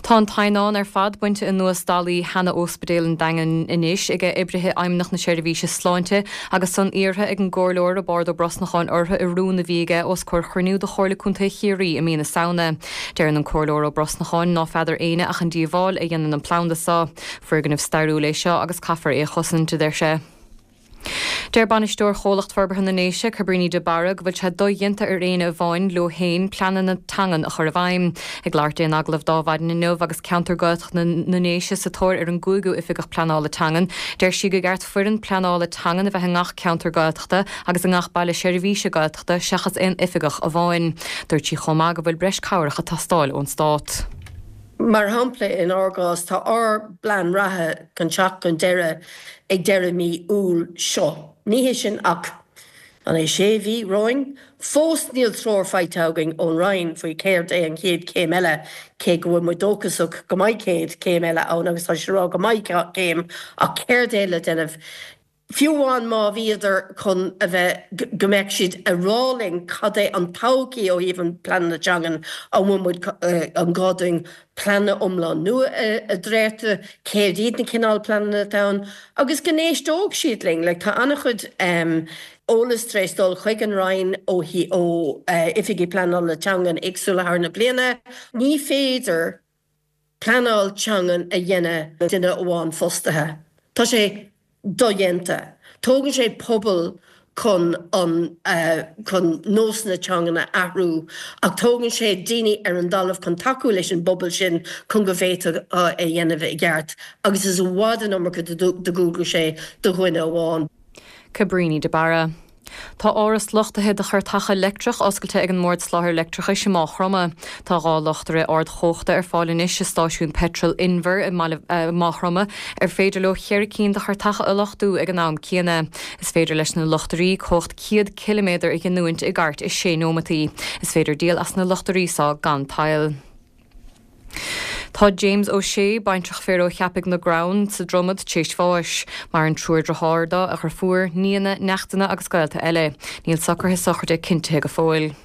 Tá an t-eidhneán ar fad bainte anuas dallaí sheana-Ospidéal an Daingin anois ag oibrithe Fheidhmeannacht na Seirbhíse Sláinte agus san iarrtha ag an gComhairleoir Roibeárd Ó Brosnacháin orthu i rún a bhí aige os comhair chruinniú de Chomhairle Contae Chiarraí i mí na Samhna. Deireann an Comhairleoir Ó Brosnacháin ná feadar éinne ach an díobháil a dhéanann an planda seo. Foirgneamh stairiúil é seo agus caithfear é a chosaint, a deir sé. Deir bainisteoir Chomhlacht Forbartha na nDéise, Cabríní de Barra, go bhfuil sé dodhéanta ar éinne amháin leo féin pleananna teangan a chur i bhfeidhm. Ag labhairt di in agallamh d'Adhmhaidin inniu agus ceantar Gaeltachta na nDéise sa tóir ar an gcúigiú Oifigeach Pleanála Teangan, deir sí go gceart foireann pleanála teangan a bheith i ngach ceantar Gaeltachta agus i ngach baile seirbhíse Gaeltachta seachas aon oifigeach amháin. Dúirt sí chomh maith go bhfuil breis cabhrach ag teastáil ón Stát. Mar shampla, in ár gcás, tá ár bplean reatha chun teacht chun deireadh ag deireadh mí Iúil seo. Ní hé sin ach, an é sé mhí romhainn? Fós níl treoir faighte againn ón Roinn faoi céard é an chéad chéim eile, cé go bhfuil muid dóchasach go mbeidh céad céim eile ann agus tá siad ag rá go mbeidh céim, ach céard é le déanamh? Fiú amháin má bhíodar chun a bheith, go mbeadh siad a rá linn cad é an todhchaí ó thaobh an pleananna teangan, an bhfuil muid, an gá dúinn pleananna iomlán nua a dhréachtú, céard iad na cineál pleananna atá ann, agus go n-éisteodh siad linn. Like tá an-chuid eolas tar éis dul chuig an Roinn ó ó oifigigh pleanála teangan éagsúla thar na bliana. Ní féidir pleanáil teangan a dhéanamh le duine amháin fostaithe. Tá sé dodhéanta. Tógann sé pobal chun an chun nósanna teangan a athrú ach tógann sé daoine ar an dtalamh chun tacú leis an bpobal sin chun go bhféadfadh é a dhéanamh i gceart agus is i bhfad an iomarca de dhualgais é do dhuine amháin. Cabríní de Barra. Tá áras luchtaithe do chairteacha leictreach oscailte ag an mBord Soláthair Leictreachais i Máigh Chromtha. Tá dhá luchtaire ardchumhachta ar fáil anois i stáisiún peitril Inver i Máigh Chromtha ar féidir leo ceithre cinn de chairteacha a luchtú ag an am céanna. Is féidir leis na luchtairí cumhacht céad ciliméadar a ghiniúint i gcairt i sé nóimeataí. Is féidir díol as na luchtairí seo gan tadhall. Tá James O'Shea, baintreach fir ó Cheapaigh na gCrann sa Dromad, t'éis bháis. Maireann triúr dearthár dó, a dheirfiúr, nianna, neachtanna agus gaolta eile. Níl socruithe sochraide cinntithe go fóill.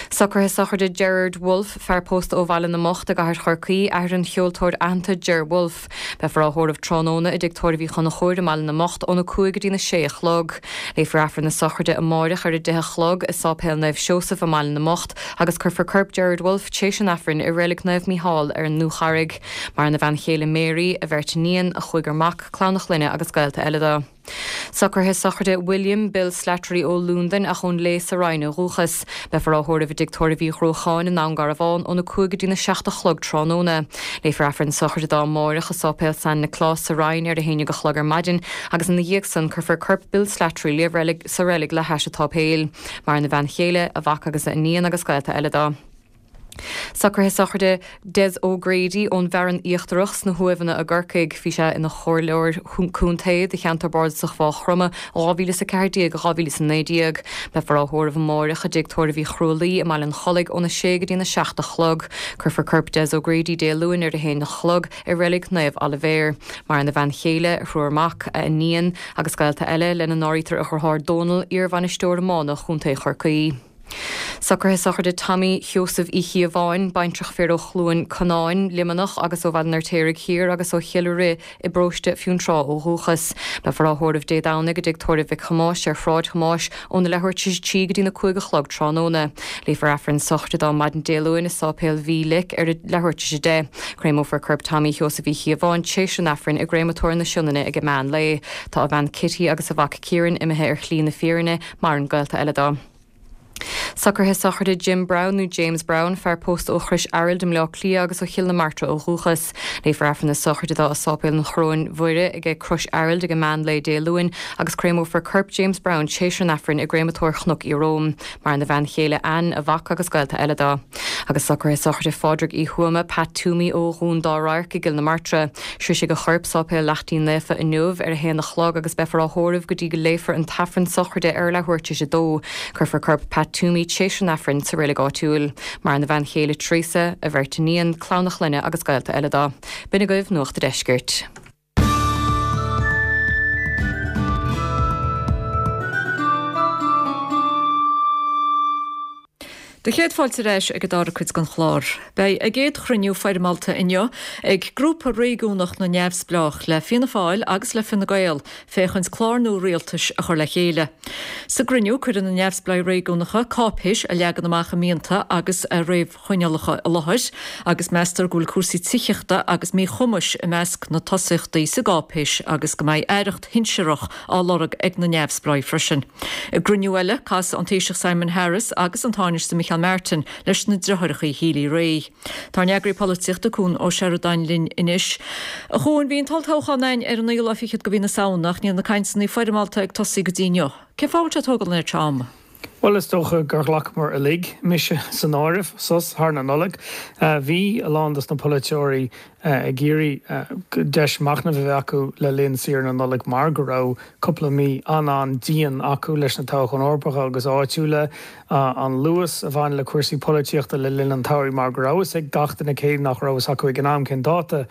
Socruithe sochraide Gerard Wolfe, fear pósta ó Bhaile na mBocht i gcathair Chorcaí, athair an cheoltóir aitheanta Ger Wolfe. Beifear á thórramh tráthnóna i dTigh Tórraimh Uí Chonchúir i mBaile na mBocht óna cúig go dtína sé a chlog. Léifear Aifreann na sochraide amáireach ar a deich a chlog i Sáipéal Naomh Seosamh i mBaile na mBocht agus cuirfear corp Gerard Wolfe t'éis an Aifrinn i Reilig Naomh Mícheál ar an Ndúcharraig. Maireann a bhean chéile Mary, a bheirt iníon, a chúigear mac, clann a chlainne agus gaolta eile dó. Socruithe sochraide William Bill Slattery ó Londain ach ón Léith sa Rinn ó dhúchas. Beifear á thórramh i dTigh Tórraimh Uí Ghruacháin i nDún Garbhán óna cúig go dtína seacht a chlog tráthnóna. Léifear Aifreann sochraide dó amáireach i Sáipéal San Nioclás sa Rinn ar a haon déag a chlog ar maidin agus ina dhiaidh san cuirfear corp Bill Slattery le reilig sa reilig le hais an tsáipéil. Maireann a bhean chéile, a mhac agus a iníon agus gaolta eile dó. Socruithe sochraide Des O'Grady ón bhFearann Íochtarach sna hUaimheanna i gCorcaigh. Bhí sé ina chomhairleoir contae do cheantar bardasach Mhaigh Chromtha dhá mhíle is a ceathair déag, dhá mhíle is a naoi déag. Beifear á thórramh amáireach i dTigh Tórraimh Uí Chrualaoi i mBaile an Chollaigh óna sé go dtína seacht a chlog. Cuirfear corp Des O'Grady Dé Luain ar a haon a chlog i Reilig Naomh Oilibhéar. Maireann a bhean chéile, a thriúr mac, a iníon agus gaolta eile, lena n-áirítear a dheartháir Dónal, iarbhainisteoir iomána Chontae Chorcaí. Socruithe sochraide Tommy Sheosaimh Uí Chíobháin, baintreach fir ó Chluain Conáin, Luimneach agus ó Bhaile an Fheirtéaraigh Thiar agus ó Chill Rith i bparóiste Fionntrá ó dhúchas. Beifear á thórramh Dé Domhnaigh i dTigh Tórraimh Mhic Thomáis ar Shráid Thomáis óna leathuair tar éis a trí go dtína cúig a chlog tráthnóna. Léifear Aifreann sochraide dó maidin Dé Luain i Sáipéal Mhílic ar a leathuair tar éis a deich. Créamófar corp Tommy Sheosaimh Uí Chíobháin t'éis an Aifrinn i gCréamatóir na Sionainne ag meán lae. Tá a bhean Kitty agus a mhac Kieran imithe ar shlí na fírinne, maireann gaolta eile dó. Socruithe sochraide Jim Brown nó James Brown, fear pósta ó Chrois Araild i mBleá Cliath agus ó Chill na Martra ó dhúchas. Léifear Aifreann na sochraide dó i Sáipéal an Choróin Mhuire ag Crois Araild ag an meán lae Dé Luain agus créamófar corp James Brown théis an Aifrinn i gcréamatóir Chnoc Ieróm. Maireann a bhean chéile Ann, a mhac agus gaolta eile dó. Agus socruithe sochraide Phádraig Uí Thuama, Pat Toomey ó Dhún Dá Radharc i gCill na Martra. Sroichfidh a chorp Sáipéal Laichtín Naofa inniu ar a haon a chlog agus beifear á thórramh go dtí go léifear an tAifreann sochraide ar leathuair tar éis a dó. Cuirfear corp Pat Toomey théis an Aifrinn sa reilig áitiúil. Maireann a bhean chéile Teresa, a bheirt iníon, clann a chlainne agus gaolta eile dó. B'in agaibh Nuacht an Deiscirt. Do chéad fáilte ar ais ag an dara cuid den chlár. Beidh a gcéad chruinniú foirmeálta inniu ag Grúpa Réigiúnach na Neamhspleách le Fianna Fáil agus le Fine Gael féachaint clár nua rialtais a chur le chéile. Sa gcruinniú cuirfidh na neamhspleáigh réigiúnacha cáipéis a leagann amach a mianta agus a réamhchoinníollacha i láthair agus meastar go bhfuil cúrsaí tithíochta agus míchumais i measc na tosaíochtaí sa gcáipéis agus go mbeidh aireacht shinsearach á lorg ag na neamhspleáigh freisin. I gcruinniú eile casfaidh an Taoiseach Simon Harris agus an Tánaiste Micheál Martin leis na deartháireacha Healy-Rae. Tá ár n-eagraí polaitíochta Cuan Ó Seireadáin linn anois. A Chuain, bhí an t-olltoghchán ann ar an naoú lá fichead de mhí na Samhna ach níl na cainteanna foirmeálta ag tosaí go dtí inniu. Cén fáth a bhfuil sé ag tógáil an oiread seo ama? Bhuel, is dócha gur ghlacamar uilig, mise san áireamh, sos thar na Nollag. Bhí a lán dos na polaiteoirí ag iarraidh deis machnaimh a bheith acu le linn saoire na Nollag mar go raibh cúpla mí an-an-dian acu leis na toghcháin Eorpacha agus áitiúla, an luas a bhain le cúrsaí polaitíochta le linn an tsamhraidh mar go raibh fhios ag gach duine, cé nach raibh fhios acu ag an am cén dáta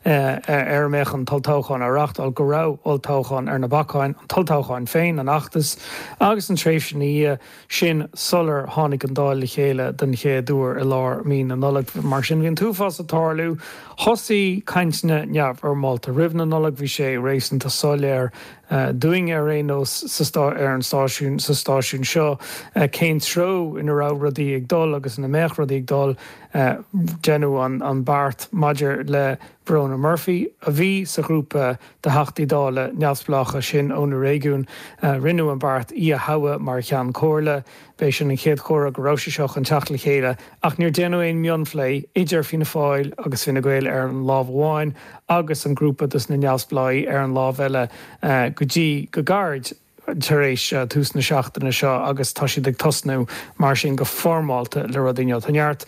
ar a mbeadh an t-olltoghchán á reáchtáil, go raibh olltoghchán ar na bacáin, an t-olltoghchán féin, an fheachtas agus an tréimhse ina dhiaidh sin sular tháinig an Dáil le chéile den chéad uair i lár mí na Nollag. Mar sin bhí an t-uafás ag tarlú. Thosaigh cainteanna neamhfhoirmeálta roimh na Nollag, bhí sé réasúnta soiléir dúinn ar aon nós sa ar an stáisiún sa stáisiún seo cén treo ina raibh rudaí ag dul agus ina mbeadh rudaí ag dul. Deineadh an an beart maidir le Verona Murphy, a bhí sa ghrúpa de Theachtaí Dála neamhspleácha sin ó na réigiúin, rinneadh an beart í a thoghadh mar Cheann Comhairle. B'é sin an chéad chomhartha go raibh sé seo chun teacht le chéile, ach níor déanadh aon mhionphlé idir Fianna Fáil agus Fine Gael ar an lámh amháin agus an grúpa dos na neamhspleáigh ar an lámh eile go dtí go gairid tar éis tús na seachtaine seo agus tá siad ag tosnú mar sin go foirmeálta le rudaí inniu. Tá neart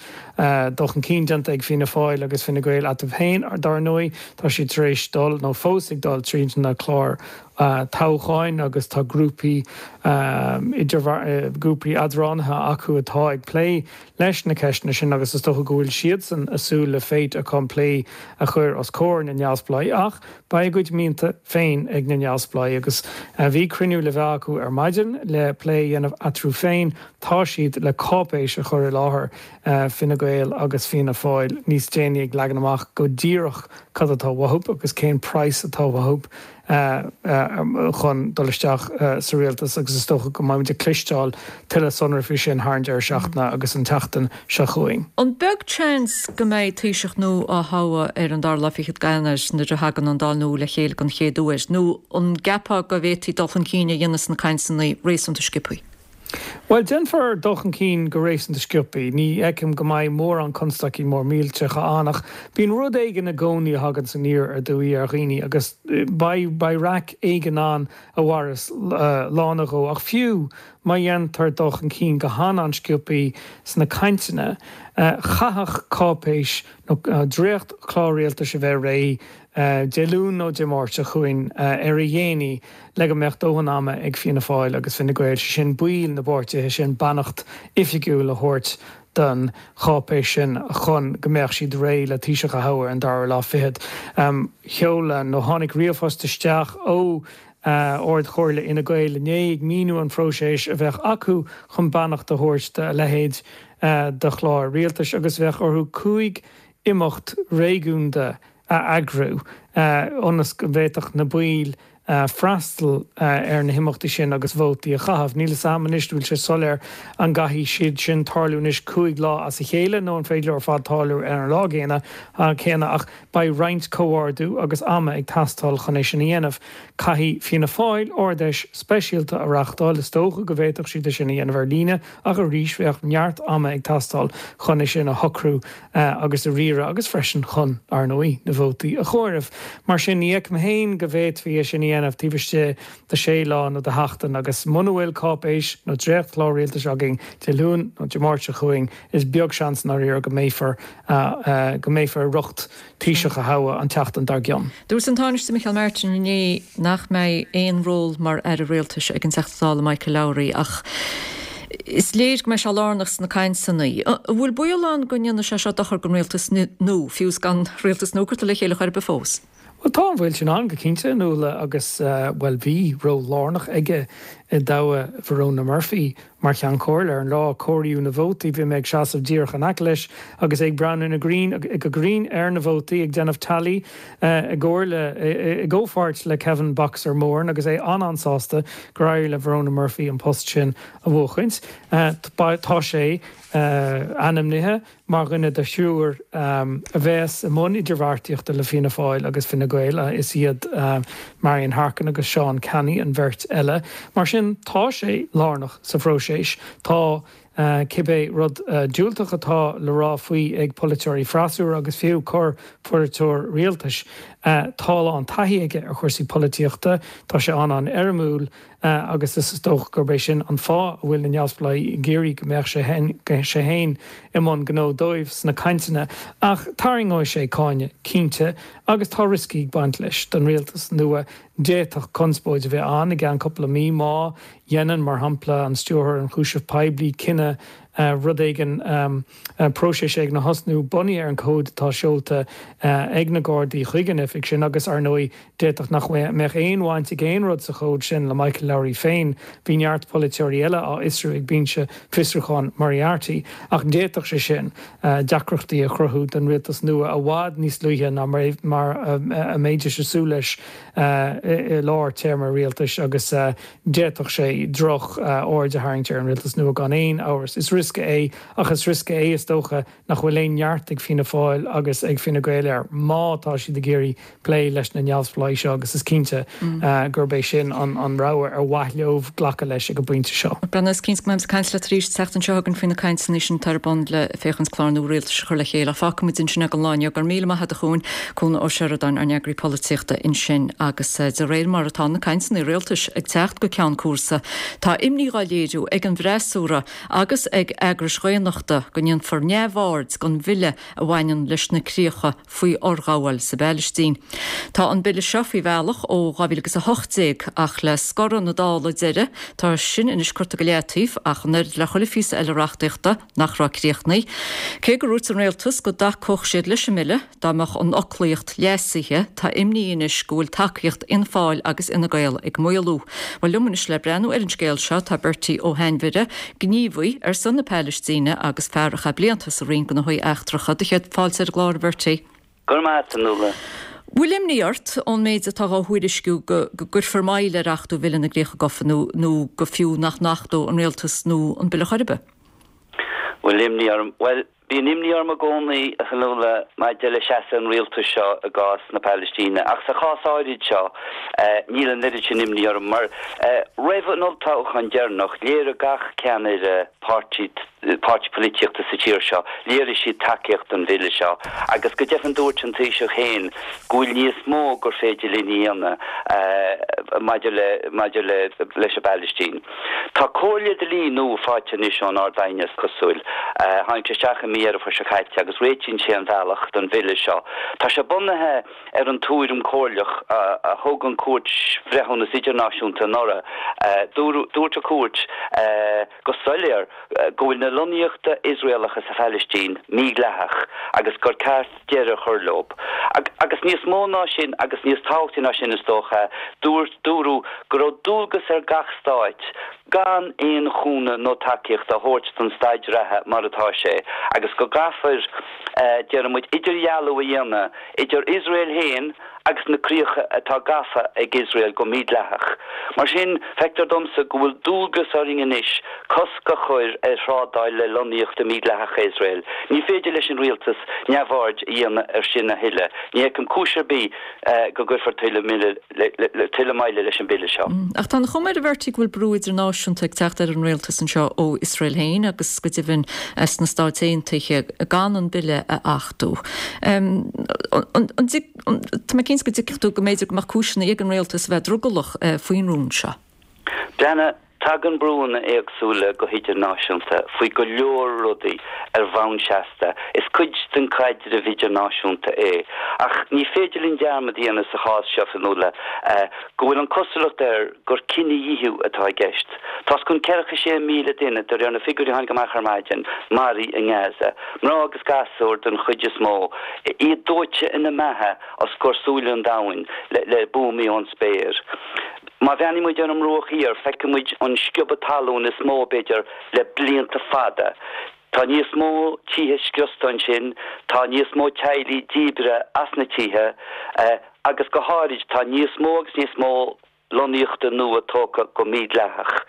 dul chun cinn déanta ag Fianna Fáil agus Fine Gael eatarthu féin, dar ndóigh. Tá siad tar éis dul, nó fós ag dul, tríd na cláir toghcháin agus tá grúpaí grúpaí eadránaithe acu atá ag plé leis na ceisteanna sin agus is dócha go bhfuil siadsan ag súil le fait accompli a chur os comhair na neamhspleáigh ach beidh a gcuid mianta féin ag na neamhspleáigh agus bhí cruinniú le bheith acu ar maidin le plé a dhéanamh eatarthu féin. Tá siad le cáipéis a chur i láthair Fine Gael agus Fianna Fáil níos déanaí ag leagan amach go díreach cad atá uathu agus cén praghas atá uathu chun dul isteach sa rialtas agus is dócha go mbeimid ag cloisteáil tuilleadh sonraí faoi sin thar an deireadh seachtaine agus an tseachtain seo chugainn. An beag seans go mbeidh Taoiseach nua á thoghadh ar an dara lá fichead d'Eanáir nuair a thagann an Dáil nua le chéile den chéad uair, nó an gceapfá go bhféadfaí dul chun cinn a dhéanamh sna cainteanna réasúnta sciobtha? Bhuel, déanfar dul chun cinn go réasúnta sciobtha. Ní fheicim go mbeidh mórán constaicí mór millteacha ann ach bíonn rud éigin i gcónaí a thaganns aniar aduaidh ar dhaoine agus beidh beidh raic éigin ann a mhairfeas lá nó dhó. Ach fiú má dhéantar dul chun cinn go han-an-sciobtha sna cainteanna, chaithfeadh cáipéis nó dréacht-chlár rialtais a bheith réidh Dé Luain nó Dé Máirt seo chugainn ar a dhéanaí le go mbeadh dóthain ama ag Fianna Fáil agus Fine Gael, sé sin baill na bpáirtithe sin, beannacht oifigiúil a thabhairt don cháipéis sin chun go mbeadh siad réidh le Taoiseach a thoghadh ar an dara lá fichead. Sheol nó tháinig ríomhphost isteach ó Ard-Chomhairle Fhine Gael inné ag míniú an phróiseas a bheadh acu chun beannacht a thabhairt do a leithéid de chlár rialtais agus bheadh orthu cúig imeacht réigiúnda a eagrú ionas go bhféadfadh na baill freastal ar na himeachtaí sin agus vótaí a chaitheamh. Níl a fhios agam anois, bhfuil sé soiléir an gcaithfidh siad sin tarlú anois cúig lá as a chéile nó an féidir leo ar fad tarlú ar an lá gcéanna céanna ach beidh roinnt comhordú agus ama ag teastáil chun é sin a dhéanamh. Caithfidh Fianna Fáil Ard-Fheis speisialta a reáchtáil, is dócha go bhféadfadh siad é sin a dhéanamh ar líne ach arís bheadh neart ama ag teastáil chun é sin a shocrú agus a riaradh agus freisin chun, ar ndóigh, na vótaí a chomhaireamh. Mar sin ní fheicim féin go bhféadfaí é sin a dhéanamh taobh istigh de sé lá nó de sheachtain agus muna bhfuil cáipéis nó dréachtchlár rialtais againn Dé Luain nó Dé Máirt seo chugainn is beag seans i ndáiríre go mbeifear go mbeifear ag rith Taoiseach a thoghadh an tseachtain dár gcionn. Dúirt an Tánaiste Micheál Martin inné nach mbeidh aon ról mar aire rialtais ag an Teachta Dála Michael Lowry ach is léir go mbeidh sé lárnach sna cainteanna. An bhfuil baol ann go ndéanfaidh sé seo dochar don rialtas nua, fiú is gan rialtas nua curtha le chéile chor ar bith fós? Bhuel tá an baol sin ann go cinnte, Nuala, agus bhuel bhí ról lárnach aige i dtoghadh Verona Murphy mar Cheann Comhairle. Ar an lá a comhaireadh na vótaí bhí mé ag seasamh díreach in aice leis agus é ag breathnú na grinn go grinn ar na vótaí ag déanamh tally i gcomhairle i gcomhpháirt le Kevin Boxer Moran agus é an-an-sásta gur éirigh le Verona Murphy an post sin a bhuachaint. Tá sé ainmnithe mar dhuine de thriúr a bheas i mbun idirbheartaíochta le Fianna Fáil agus Fine Gael. Is iad Marian Harkin agus Seán Canney an bheirt eile. Mar sin tá sé lárnach sa phróiseas. Tá cibé rud diúltach atá le rá faoi ag polaiteoirí freasúra agus fiú corr-pholaiteoir rialtais. Tá a lán taithí aige ar chúrsaí polaitíochta, tá sé an-an-éirimiúil agus is dócha gurb é sin an fáth a bhfuil na neamhspleáigh ag iarraidh go mbeadh sé sé féin i mbun gnó dóibh sna cainteanna. Ach tarraingeoidh sé cáineadh, cinnte, agus tá rioscaí ag baint leis don rialtas nua. D'fhéadfadh conspóid a bheith ann i gceann cúpla mí má dhéanann, mar shampla, an Stiúrthóir Ionchúiseamh Poiblí cinneadh rud éigin, próiseas éigin a thosnú bunaithe ar an gcomhad atá seolta ag na Gardaí chuig an oifig sin agus, ar ndóigh, d'fhéadfadh nach mbeadh aon bhaint ag aon rud sa chomhad sin le Michael Lowry féin. Bhí neart polaiteoirí eile á fhiosrú ag Binse Fiosrúcháin Moriarty ach d'fhéadfadh sé sin deacrachtaí a chruthú don rialtas nua i bhfad níos luaithe ná mar a mbeidís ag súil leis i lár téarma rialtais agus d'fhéadfadh sé droch-aird a tharraingt ar an rialtas nua gan aon amhras. Is riosca é ach is riosca é is dócha nach bhfuil aon neart ag Fianna Fáil agus ag Fine Gael air má tá siad ag iarraidh plé leis na neamhspleáigh seo agus is cinnte gurb é sin an rogha ar mhaith leo glacadh leis ag an bpointe seo. Breandán, is cinnte go mbeidh caint leat arís an tseachtain seo chugainn faoi na cainteanna sin atá ar bun le féachaint clár nua rialtais a chur le chéile. Fágfaimid ansin ag an lá inniu. Go raibh míle maith agat a Chuain, Cuan Ó Seireadáin, ár n-eagraí polaitíochta ansin agus de réir mar atá na cainteanna rialtais ag teacht go ceann cúrsa, tá imní á léiriú ag an bhfreasúra agus ag eagrais dhaonnachta go ndéanfar neamhaird den bhille a bhaineann leis na críocha faoi fhorghabháil sa bPailistín. Tá an bille seo faoi bhealach ó dhá mhíle agus a hocht déag ach le scoradh na Dála deiridh, tá sin anois curtha go leataobh ach an oiread le chuile phíosa eile reachtaíochta nach raibh críochnaithe. Cé gur dhúirt an rialtas go dtacódh siad leis an mbille dá mbeadh an fhoclaíocht leasaithe, tá imní anois go bhfuil tacaíocht Fhianna Fáil agus Fhine Gael ag maolú. Bhuel liom anois le breathnú ar an scéal seo tá Bertie Ó hAinmhire, gníomhaí ar son na Palaistíne agus fear a chaith blianta sa Roinn Gnóthaí Eachtracha. Do chéad fáilte ar an gclár, a Bhertie. Go raibh maith agat, a Nuala. Bhfuil imní ort ón méid atá á thuairisciú go gcuirfear moill ar achtú Bhille na gCríocha Gafa nó nó go fiú nach n-achtódh an rialtas nua an bille chor ar bith? Bhfuil imní orm? Bhuel, bíonn imní orm i gcónaí, a Fhionnuala, maidir le seasamh an rialtais seo i gcás na Palaistíne, ach sa chás áirid seo, níl an oiread sin imní orm, mar roimh an olltoghchán deireanach, léirigh gach ceannaire páirtí, páirtí polaitíochta sa tír seo, léirigh siad tacaíocht don bhille seo, agus go deimhin dúirt an Taoiseach féin go bhfuil níos mó gur féidir linn a dhéanamh maidir le, maidir le, leis an bPalaistín. Tá comhairle dlí nua faighte anois ón Ard-Aighne, is cosúil. Tháinig sé isteach i mí Dheireadh Fómhair seo caite agus réitíonn sé an bhealach don bhille seo. Tá sé bunaithe ar an tuairim chomhairleach a thug an Chúirt Bhreithiúnas Idirnáisiúnta anuraidh. Dúirt an Chúirt go soiléir go bhfuil na lonnaíochta Iosraelacha sa Phalaistín mídhleathach agus gur ceart deireadh a chur leo. Agus níos mó ná sin, agus níos tábhachtaí ná sin is dócha, dúirt, dúradh go raibh dualgas ar gach stáit gan aon chúnamh nó tacaíocht a thabhairt don staid reatha mar atá sé agus go gcaithfear, déarfaidh muid, idirdhealú a dhéanamh idir Iosrael féin agus na críocha atá gafa ag Iosrael go mídhleathach. Mar sin, feictear domsa go bhfuil dualgas orainn anois cosc a chur ar thrádáil le lonnaíochtaí mídhleathacha Iosrael. Ní féidir leis an rialtas neamhaird a dhéanamh air sin a thuilleadh. Ní fheicim cúis ar bith go gcuirfear tuilleadh moille leis an bhille seo. Ach tá an chuma air, a Bhertie, go bhfuil brú idirnáisiúnta ag teacht ar an rialtas anseo ó Iosrael féin agus go deimhin sna Stáit Aontaithe gan an bille a achtú. Tá mé cinnte go dtuigfidh tú go mb'fhéidir go mbeadh cúiseanna ag an rialtas a bheith drogallach faoin rún seo. Breathnaigh, tagann brúanna éagsúla go hidirnáisiúnta faoi go leor rudaí ar bhonn seasta. Is cuid den chaidreamh idirnáisiúnta é. Ach ní féidir linn dearmad a dhéanamh sa chás seo, Fionnuala, go bhfuil an chosúlacht air gur cinedhíothú atá i gceist. Tá os cionn ceathracha sé míle duine, de réir na figiúirí a tháinig amach ar maidin, maraithe i nGaza. Mná agus gasúir den chuid is mó, iad dóite ina mbeatha os comhair súile an domhain le buamaí ón spéir. Má bhreathnaíonn muid ar an mBruach Thiar, feicfidh muid an sciobadh talún is mó, b'fhéidir, le blianta fada. Tá níos mó tithe scriosta ansin, tá níos mó teaghlaigh díbrithe as na tithe agus go háirid tá níos mó agus níos mó lonnaíochta nua tógtha go mídhleathach.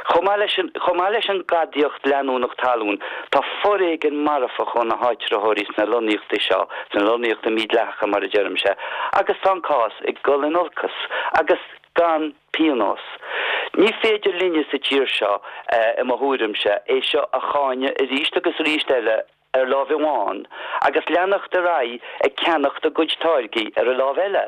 Chomh maith leis an, chomh maith leis an ngadaíocht leanúnach talún, tá foréigean marfach ó na háitritheoirí sna lonnaíochtaí seo, sna lonnaíochtaí mídhleathacha mar a deirimse, agus tá an cás ag dul in olcas agus gan pionós. Ní féidir linne sa tír seo, i mo thuairimse, é seo a cháineadh arís agus arís eile ar láimh amháin agus leanacht ar aghaidh ag ceannacht a gcuid táirgí ar an láimh eile.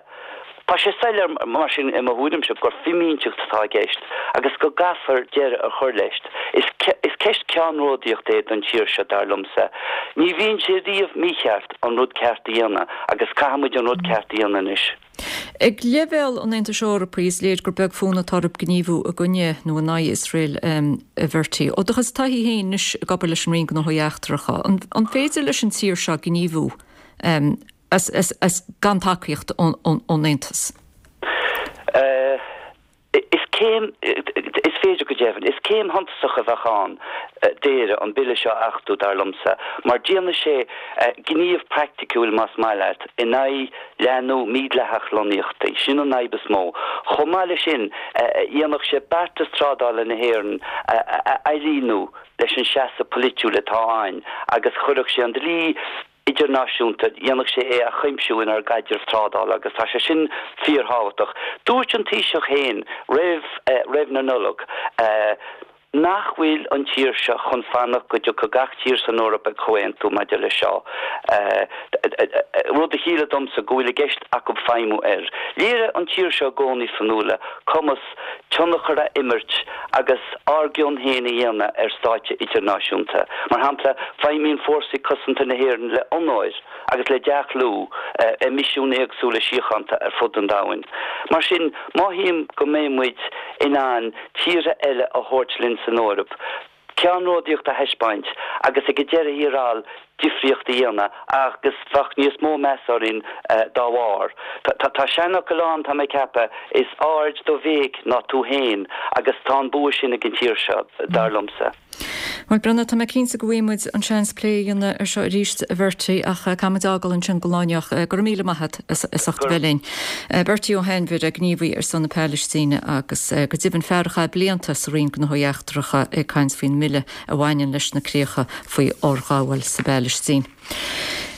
Tá sé soiléir mar sin, i mo thuairimse, gur fimínteacht atá i gceist agus go gcaithfear deireadh a chur leis. Is is ceist ceannródaíochta é don tír seo, dar liomsa. Ní bhíonn sé riamh mícheart an rud ceart a dhéanamh agus caithfidh muid an rud ceart a dhéanamh anois. Ag leibhéal an Aontais Eorpaigh, is léir gur beag fonn atá orthu gníomhú i gcoinne nó in aghaidh Iosrael, a Bhertie. Ó do chuid taithí féin anois ag obair leis an Roinn Gnóthaí Eachtracha, an féidir leis an tír seo gníomhú as gan tacaíocht ón Aontas? Is céim, is féidir go deimhin, is céim shuntasach a bheadh ann d'Éire an bille seo a achtú, dar liomsa, mar déanfaidh sé gníomh praiticiúil, más maith leat, in aghaidh leathnú mídhleathach lonnaíochtaí. Sin an fhadhb is mó. Chomh maith leis sin, dhéanfadh sé beartas trádála na hÉireann a ailíniú leis an seasamh polaitiúil atá ann agus chuirfeadh sé an dlí idirnáisiúnta, dhéanfadh sé é a chuimsiú inár gcaidreamh trádála agus tá sé sin fíorthábhachtach. Dúirt an Taoiseach féin roimh roimh na Nollag nach bhfuil an tír seo chun fanacht go dtiocfaidh gach tír san Eoraip ag comhaontú maidir leis seo, rud a chiallaigh domsa go bhfuil i gceist acu feidhmiú air. Léirigh an tír seo i gcónaí, Fionnuala, cumas tionchar a imirt agus ár gcion féin a dhéanamh ar stáitse idirnáisiúnta. Mar shampla, feidhmíonn Fórsaí Cosanta na hÉireann le honóir agus le dea-chlú i misiúin éagsúla síochánta ar fud an domhain. Mar sin, mothaím go mbeidh muid in ann tíortha eile a thabhairt linn san Eoraip, ceannródaíocht a thaispeáint agus ag an deireadh thiar thall difríocht a dhéanamh agus bheadh níos mó meas orainn dá bharr. Tá seanfhocal ann, tá mé ag ceapadh, is aird do bhéic ná tú féin agus tá an bua sin ag an tír seo, dar liomsa. Bhuel, Breandán, tá mé cinnte go bhfaighidh muid an seans plé a dhéanamh ar seo arís, a Bhertie, ach caithfidh muid fhágáil ansin don lá inniu. Go raibh míle maith agat as ucht a bheith linn. Bertie Ó hAinmhire, gníomhaí ar son na Palaistíne agus go deimhin fear a chaith blianta sa Roinn Gnóthaí Eachtracha ag caint faoin mbille a bhaineann leis na críocha faoi fhorghabháil sa bPalaistín.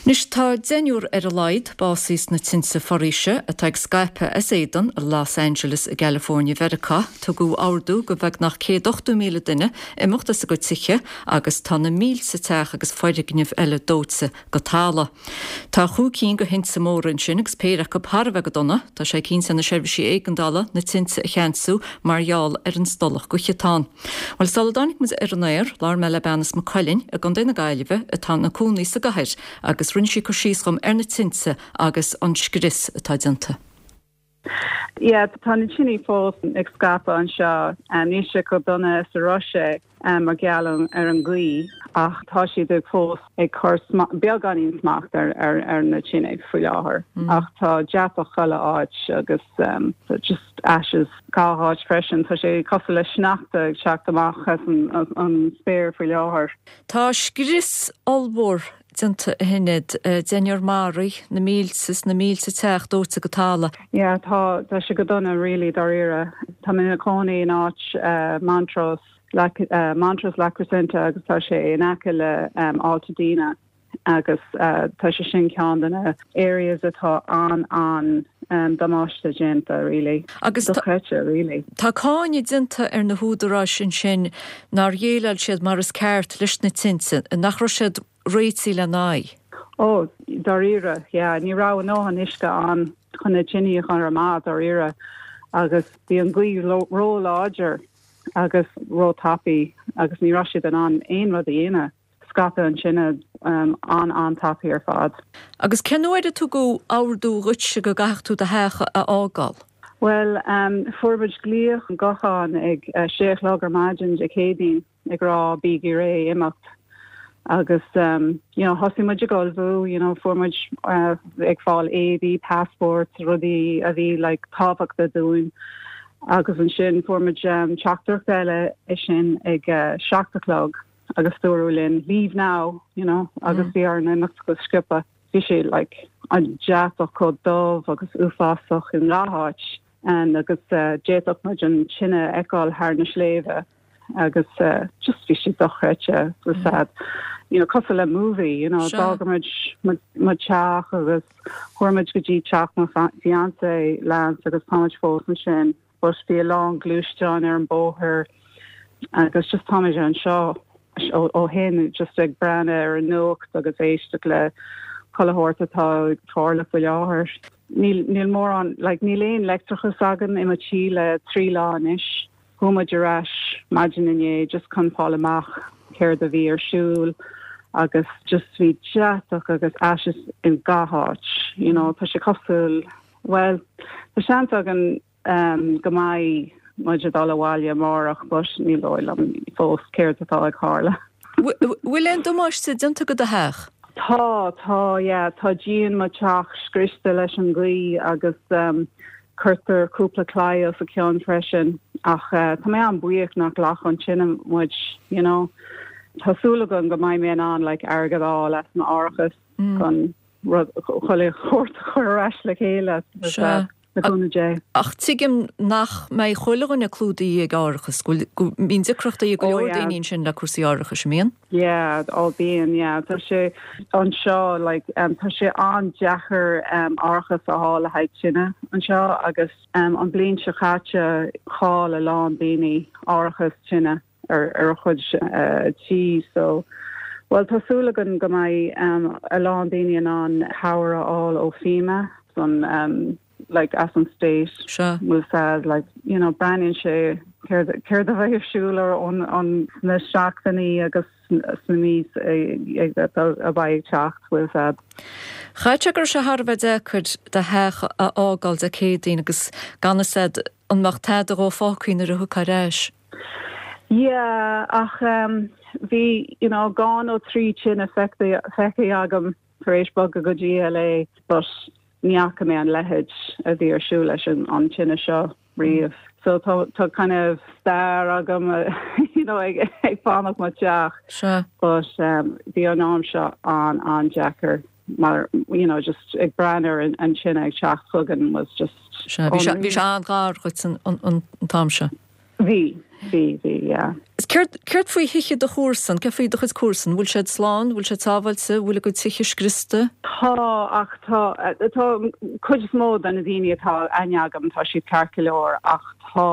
Anois tá deichniúr ar a laghad básaithe sna tinte foraoise atá ag scaipeadh as éadan i Los Angeles i gCalifornia Mheiriceá. Tugadh ordú do bheagnach céad ochtó míle duine imeacht as a gcuid tithe agus tá na mílte teach agus foirgnimh eile dóite go talamh. Tá chúig cinn de thinte móra ansin agus péire acu thar a bheith go dona. Tá sé cinnte ar na seirbhísí éigeandála na tinte a cheansú mar gheall ar an stolladh gaoithe atá ann. Bhuel, sula dtáinig muid ar an aer, labhair mé le bean as Maigh Cuilinn i gContae na Gaillimhe atá ina cónaí sa gcathair agus rinne sí cur síos dhom ar na tinte agus an scrios atá déanta. Yeah, tá na tine fós ag scaipeadh anseo. Níl sé chomh dona is a raibh sé mar gheall ar an ngaoth ach tá siad ag fós ag cur beagáinín smacht ar ar ar na tine faoi láthair. Ach tá deatach chuile áit agus um, just ashes gach áit freisin. Tá sé cosúil le sneachta ag teacht amach as an, an spéir faoi láthair. Tá scrios ollmhór déanta a Shinéad, deichniúr maraithe, na mílte is na mílte teach dóite go talamh. Yeah, tá tá sé go dona really dáiríre. Tá mé i mo chónaí in áit Montrose, Montrose La Crescenta agus tá sé in aice le Altadena agus tá sé sin ceann de na areas atá an an damáiste déanta really. Agus dochreidte really. Tá cáineadh déanta ar na húdaráis ansin nár dhéileáil siad mar is ceart leis na tinte, nach raibh siad réitithe lena n-aghaidh. Ó, dáiríre, yeah, ní raibh a ndóthain uisce ann chun na tine a chur amach dáiríre agus bhí an ghaoth ró-láidir agus ró-tapaidh agus ní raibh siad in ann aon rud a dhéanamh. Scaipeadh an tine an-an-tapaidh ar fad. Agus cén uair a tugadh ordú dhuitse go gcaithfeadh tú do theach a fhágáil? Bhuel, fuair muid glaoch gutháin ag sé a chlog ar maidin Dé Céadaoin ag rá bígí réidh imeacht agus you know thosaigh muid ag ullmhú, you know fuair muid ag fáil éadaí, passports, rudaí a bhí like tábhachtach dúinn agus ansin fuair muid teachtaireacht eile é sin ag seacht a chlog agus dúradh linn leave now, you know, agus bhí orainn imeacht go sciobtha. Bhí sé like an deatach chomh dubh agus uafásach in gach áit and agus uh, d'fhéadfadh muid an tine a fheiceáil thar na sléibhe agus uh, just bhí sé dochreidte was sad. You know, cosúil le movie, you know, d'fhág muid mo teach agus chuaigh muid go dtí teach mo fiancé Lance agus táimid fós ansin, but bhí a lán gluaisteán ar an bóthar agus just táimid anseo ó shin just ag breathnú ar an nuacht agus éisteacht le chuile shórt atá ag tarlú faoi láthair. Níl níl mórán like, níl aon leictreachas againn i mo tí le trí lá anois. Chuaigh muid ar ais maidin inné just chun fáil amach céard a bhí ar siúl agus just bhí deatach agus ashes in gach áit. You know, tá sé cosúil well, tá seans againn um, go mbeidh muid ag dul abhaile amárach but ní dóigh liom fós céard atá ag tarlú. Bhfuil aon damáiste déanta go do theach? Tá tá yeah, tá díon mo teach scriosta leis an ghaoth agus um, cuirtear cúpla claí os a cionn freisin ach uh, tá mé an-bhuíoch nach ghlac an tine muid you know. Tá súil agam go mbeidh mé in ann like, airgead a fháil as m'árachas mm. chun chuile shórt a chur ar ais le chéile. Le cúnamh Dé. Ach tuigim nach mbeidh chuile dhuine clúdaithe ag árachas, go mbíonn deacrachtaí ag go leor daoine ansin le cúrsaí árachais an mbíonn? Yeah, ó bíonn, yeah. Tá sé anseo like, um, tá sé an-deacair um, árachas a fháil le haghaidh tine anseo agus um, an bliain seo caite chaill a lán daoine árachas tine ar ar a chuid uh, tí so well tá súil agam go mbeidh um, a lán daoine in ann cabhair a fháil ó FEMA san um, like as an state Sure. will said like you know breathnaíonn sé céard céard a bheidh ar siúl ar an an na seachtainí agus sna mí ag a bheidh ag teacht will said. Chaith sé gur sé thar a bheith deacair do theach a fhágáil Dé Céadaoin agus gan a fhios agat an mbeadh tada dhó fágtha nuair a thiocfá ar ais. Yeah, ach um, bhí you know dhá nó trí tine feicthe feicthe agam tar éis bogadh go dtí LA, but ní fhaca mé an leithéid a bhí ar siúl leis an an tine seo riamh. So tá tá kind of stair agam you know ag ag fanacht mo teach. Sure. But um, bhí an am seo an an-deacair mar you know just ag breathnú ar an, an tine ag teacht chugainn was just Sea, bhí sé bhí sé an-ghar dhuit an an an t-am seo. Bhí, bhí, bhí, yeah. Is céard céard faoi thithe do chomharsan, céard faoi do chuid comharsan, bhfuil siad slán, bhfuil siad sábháilte, bhfuil a gcuid tithe scriosta? Tá ach tá tá cuid is mó de na daoine atá aithne agam tá siad ceart go leor ach tá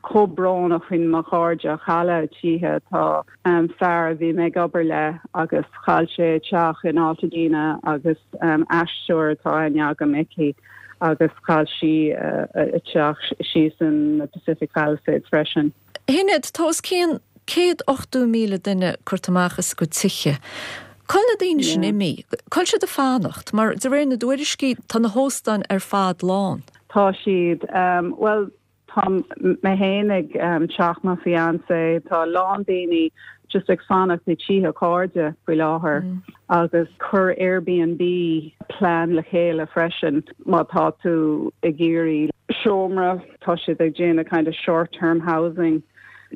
chomh brónach faoin mo chairde chaill a dtithe tá um, fear a bhí mé ag obair le agus chaill sé teach in Altadena agus um, aisteoir atá aithne agam aici agus chaill sí uh, a teach síos in the Pacific Palisades freisin. Shinéad tá os cionn céad ochtó míle duine curtha amach as a gcuid tithe. Cá bhfuil na daoine sin imithe, Cá bhfuil siad ag fanacht, mar de réir na dtuairiscí tá na hóstáin ar fad lán. Tá siad um, well tá mé féin ag um, teach mo fiancé tá lán daoine just ag fanacht i dtithe cairde faoi láthair mm. agus chuir Airbnb plean le chéile freisin má tá tú ag iarraidh seomra tá siad ag déanamh kind of short term housing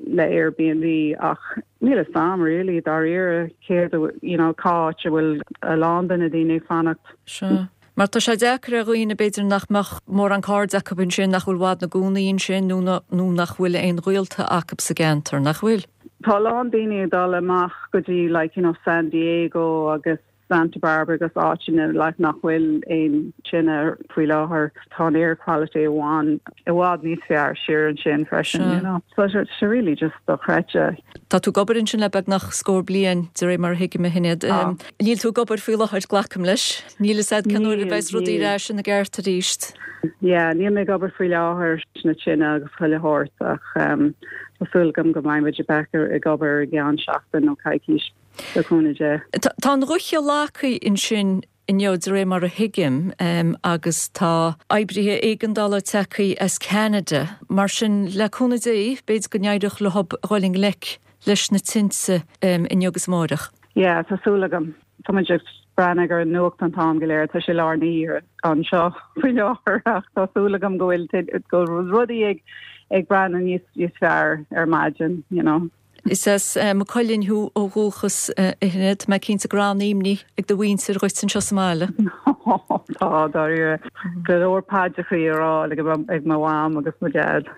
le Airbnb ach níl a fhios a'm really dáiríre céard you know cá háit a bhfuil a lán de na daoine ag fanacht. Sea. Mar tá sé deacair ar dhaoine b'fhéidir nach mbeadh mórán cairde acu ansin, nach bhfuil i bhfad ina gcónaí ansin nó nó nach bhfuil aon ghaolta acu sa gceantar, nach bhfuil? Tá a lán daoine ag dul amach go dtí like you know San Diego agus Santa Barbara agus áiteanna like nach bhfuil aon tine faoi láthair. Tá an air quality i bhfad i bhfad níos fearr siar ansin freisin, you know. So it's really just dochreidte. Tá tú ag obair ansin le beagnach scór bliain de réir mar a thuigim a Shinéad. Níl tú ag obair faoi láthair, glacaim leis. Níl fhios a'd cén uair a bheas rudaí ar ais ina gceart arís. Yeah, níl mé ag obair faoi láthair na tine agus chuile shórt ach um, tá súil agam go mbeidh muid back ag obair i gceann seachtain nó coicís. Le cúnamh Dé. Tá an dhúiche leagtha ansin inniu de réir mar a thuigim agus tá oibrithe éigeandála tagtha as Ceanada. Mar sin le cúnamh Dé b'fhéidir go n-éireodh leo a dhul i ngleic leis na tinte inniu agus amárach. Yeah, tá súil agam. Tá muid ag breathnú ar an nuacht an t-am go léir, tá sé lár na hoíche anseo faoi láthair ach tá súil agam go bhfuil go rudaí ag ag breathnú níos níos fearr ar maidin, you know. Is as Maigh Cuilinn thú ó dhúchas a Shinéad. Tá mé cinnte go raibh an-imní ag do mhuintir dhuit anseo sa mbaile. Tá, dáiríre. Go leor paidreacha á rá ag mo mham agus mo dhaid.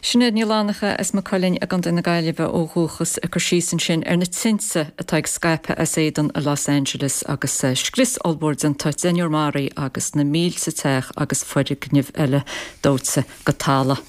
Sinéad Ní Fhlannacha as Maigh Cuilinn i gContae na Gaillimhe ó dhúchas ag cur síos ansin ar na tinte atá ag scaipeadh as éadan i Los Angeles agus scrios ollmhór déanta, deichniúr maraithe agus na mílte teach agus foirgnimh eile dóite go talamh.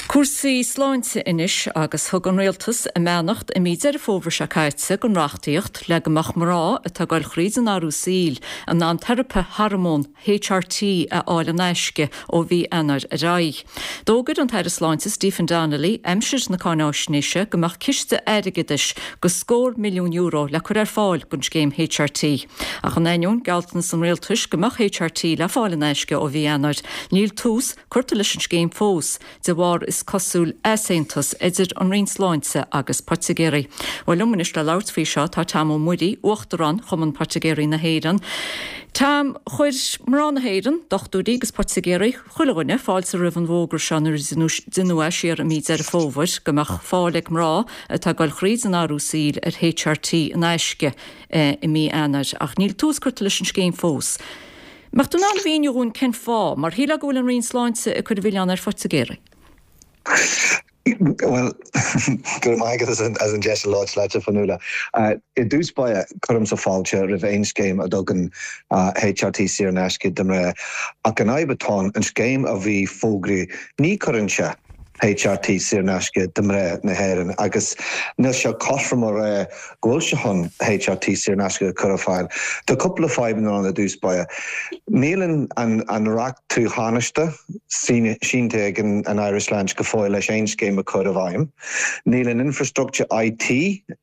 Cúrsaí sláinte anois agus thug an Rialtas a mbeannacht i mí Deireadh Fómhair seo caite don reachtaíocht le go mbeadh mná atá ag dul thríd an athrú saoil in ann teiripe hormón HRT a fháil in aisce ó mhí Eanáir ar aghaidh. D'fhógair an tAire Sláinte Stephen Donnelly aimsir na cáináisnéise go mbeadh ciste airgeadais de scór milliún euro le cur ar fáil don scéim HRT. Ach in ainneoin gealltanas an rialtais go mbeadh HRT le fáil in aisce ó mhí Eanáir, níl tús curtha leis an scéim fós de bharr is cosúil easaontas idir an Roinn Sláinte agus poitigéirí. Bhuel liom anois le labhairt faoi seo tá Tom Ó Muirí, Uachtarán Chumann Poitigéirí na hÉireann. Tom, chuir mná na hÉireann, dochtúirí agus poitigéirí, chuile dhuine fáilte roimh an bhfógra seo nuair a deineadh é siar i mí Deireadh Fómhair go mbeadh fáil ag mná atá ag dul thríd an athrú saoil ar HRT in aisce i mí Eanáir ach níl tús curtha leis an scéim fós. Mbeadh tú in ann a mhíniú dhúinn cén fáth, mar shílfeá go bhfuil an Roinn Sláinte ag cur an mhilleáin ar phoitigéirí? Well, go raibh maith agat as an deis labhairt leat, a Fionnuala. I dtús báire, cuirimse fáilte roimh aon scéim a dtugann HRT saor in aisce do mhná. Ach an fhadhb atá ann, an scéim a bhí fógraithe, ní chuireann sé HRT saor in aisce do mhná na hÉireann agus níl sé cothrom a rá go bhfuil sé chun HRT saor in aisce a chur ar fáil. Tá cúpla fadhbanna ann i dtús báire. Níl an an reachtú thánaiste sínte ag an Aire Sláinte go fóill leis aon scéim a chur i bhfeidhm. Níl an infrastructure IT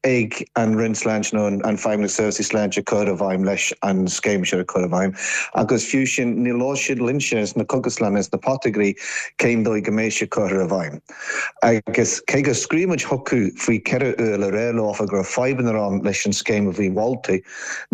ag an Roinn Sláinte nó an Feidhmeannas Seirbhísí Sláinte cur i bhfeidhm leis an scéim seo a chur i bhfeidhm. Agus fiú sin níor labhair siad linnse sna cógaslanna is na poitigéirí cén dóigh go mbeidh sé curtha i bhfeidhm. Agus cé go scríobh muid chucu faoi ceithre huaire le rá leofa go raibh fadhbanna ann leis an scéim a bhí molta,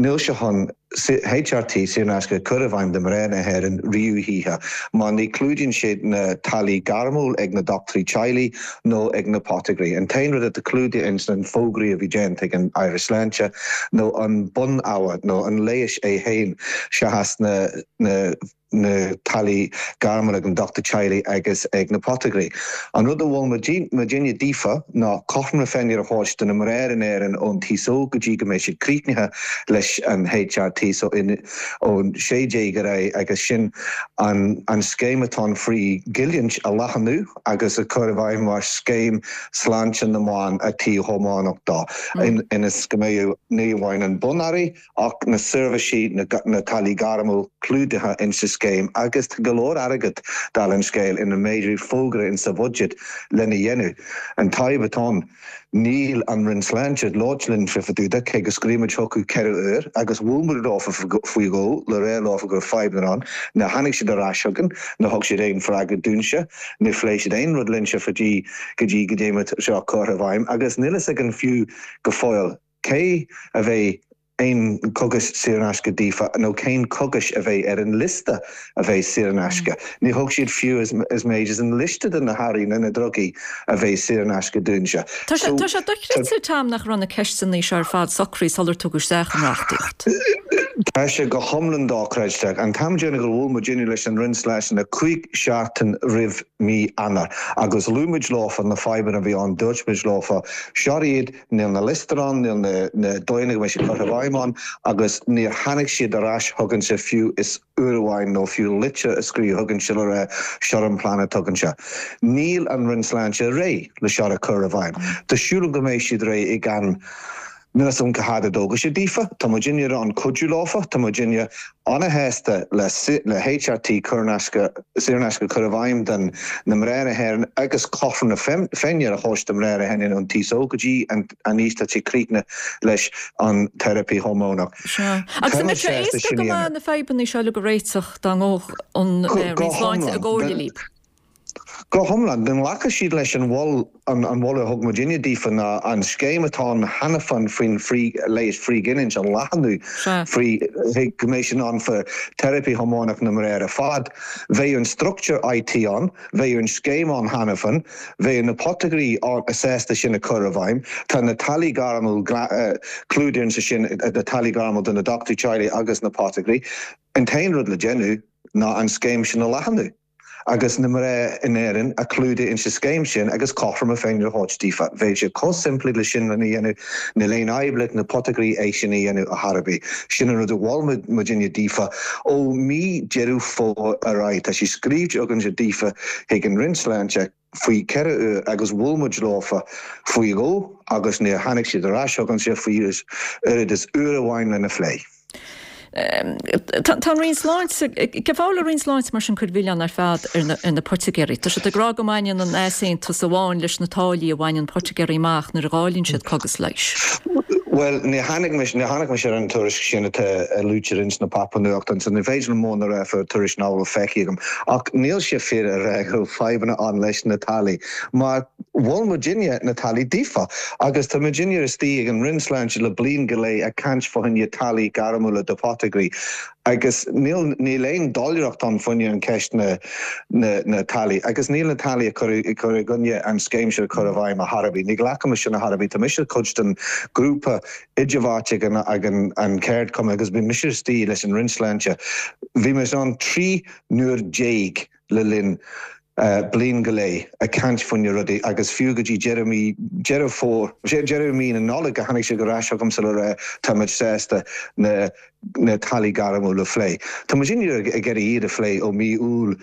níl sé chun HRT saor in aisce a chur i bhfeidhm do mhná na hÉireann riamh choíche, mar ní chlúdaíonn sé na táillí gairmiúil ag na dochtúirí teaghlaigh nó ag na poitigéirí. An t-aon rud atá clúdaithe ins an fógraí a bhí déanta ag an Aire Sláinte nó an bunábhar nó an leigheas é féin seachas na na na táillí gairmiúil ag an dochtúir teaghlaigh agus ag na poitigéirí. An rud a mhol muidinne daofa ná cothrom na Féinne a thabhairt do na mná in Éirinn ón t-aos óg go dtí go mbeidh siad críochnaithe leis an HRT so in ón sé déag ar aghaidh agus sin an an scéim atá an free goilliúint a leathnú agus a chur i bhfeidhm mar scéim sláinte na mban a tí chomhánach dá ionas go mbeidh ní amháin an bunearraí ach na seirbhísí na táillí gairmiúil clúdaithe insa scéim agus tá go leor airgead dála an scéil ina méadú fógra insa bhudget lena dhéanamh. An fhadhb atá ann, níl an Roinn Sláinte ag labhairt linn fá dtaobh de cé go scríobh muid chucu ceithre huair agus bhuail muid leofa faoi dhó le rá leofa go raibh fadhbanna ann, níor tháinig siad ar ais chugainn, níor thug siad aon freagra dúinnse, níor phléigh siad aon rud linnse fá dtaobh go dtí go dté seo curtha i bhfeidhm agus níl fhios againn fiú go fóill cé a bheidh aon cogais saor in aisce daofa nó cén cogais a bheidh ar an liosta a bheidh saor in aisce. Ní thug siad fiú is méid is an liosta de na hearraí nó na drugaí a bheidh saor in aisce dúinse. Tá sé dochreidte Tom nach raibh na ceisteanna seo ar fad socraithe sular tugadh isteach an reachtaíocht. Tá sé go hiomlán dochreidte. An t-am deireanach gur bhuail muidinne leis an Roinn Sláinte ná cúig seachtain roimh mí Eanáir agus luaigh muid leofa na fadhbanna a bhí ann, dúirt muid leofa, seo iad, níl na liostaí ann, níl na dóigheanna go mbeidh siad curtha i bhfeidhm ann agus níor tháinig siad ar ais chugainnse fiú is uair amháin nó fiú litir a scríobh chugainnse le rá seo an plean atá againse. Níl an Roinn Sláinte réidh le seo a chur i bhfeidhm. Tá súil agam go mbeidh siad réidh i gceann Níl a fhios agam cá fhad a dtógfaidh sé daofa. Tá muidinne in ann cuidiú leofa, tá muidinne ana-shásta le le HRT cur in aisce, saor in aisce a chur i bhfeidhm don na mná na hÉireann agus cothrom na Féinne a thabhairt do mná na hÉireann ón t-aos óg go dtí an aois atá siad críochnaithe leis an teiripí hormónach. Sea. Agus an mbeadh sé éasca go maith na fadhbanna seo uilig a réiteach dá ngabhadh an Roinn Sláinte i gcomhairle libh? Go hiomlán. Dá nglacfadh siad leis an an moladh a thug muidinne daofa ná an scéim atá ann cheana féin faoin leigheas frithghiniúint a leathnú faoi go mbeidh sin ann fá teiripí hormónach na mná ar fad. Bheadh an structúr IT ann, bheadh an scéim ann cheana féin, bheadh na potagairí sásta sin a chur i bhfeidhm. Tá na táillí gairmiúil clúdaithe ansin sin, na táillí gairmiúil do na dochtúirí teaghlaigh agus na potagairí. An t-aon rud le déanamh ná an scéim sin a leathnú. agus na mná in Éirinn a chlúdú insa scéim sin agus cothrom na Féinne a thabhairt daofa. Bheadh sé chomh simplí le sin lena dhéanamh, níl aon fhadhb le na potagairí é sin a dhéanamh ar chor ar bith. Sin an rud a mhol muidinne daofa ó mí Deireadh Fómhair ar aghaidh. Tá sé scríobhte againne daofa chuig an Roinn Sláinte faoi ceithre uair agus bhuail muid leofa faoi dhó agus níor tháinig siad ar ais chugainne fiú is oiread is uair amháin lena phlé. Tá an Roinn Sláinte, cén fáth a bhfuil an Roinn Sláinte mar sin ag cur an mhilleáin ar fad ar na poitigéirí? Tá siad ag rá go mbaineann an easaontas amháin leis na táillí a bhaineann poitigéirí amach nuair a dháileann siad cogas leighis. Bhuel, ní tháinig mise, ní tháinig mise ar an tuairisc sin atá luaite ins na páipéir nuachtáin, so ní féidir liom mórán a rá faoin tuairisc nach bhfuil feicthe agam. Ach níl sé fíor a rá go bhfuil fadhbanna ann leis na táillí, mar mhol muidinne na táillí daofa agus tá muidinne istigh ag an Roinn Sláinte le bliain go leith ag caint fá choinne táillí gairmiúla do photagairí agus níl níl aon doiléireacht ann fá choinne an ceist na na na táillí agus níl na táillí ag cur ag cur i gcoinne an scéim seo a chur i bhfeidhm ar chor ar bith. Ní ghlacaim sin ar chor ar bith. Tá mise cuid den grúpa idirbheartaithe ag an ag an an ceardchumann agus bhí mise istigh leis an Roinn Sláinte. Bhí mise ann trí n-uair déag le linn bliain go leith ag caint faoi na rudaí agus fiú go dtí deireadh mí Deireadh Fómhair, deireadh mí na Nollag a tháinig siad ar ais chugamsa le rá tá muid sásta na na táillí gairmiúla a phlé. Tá muid ag iarraidh iad a phlé ó mí Iúil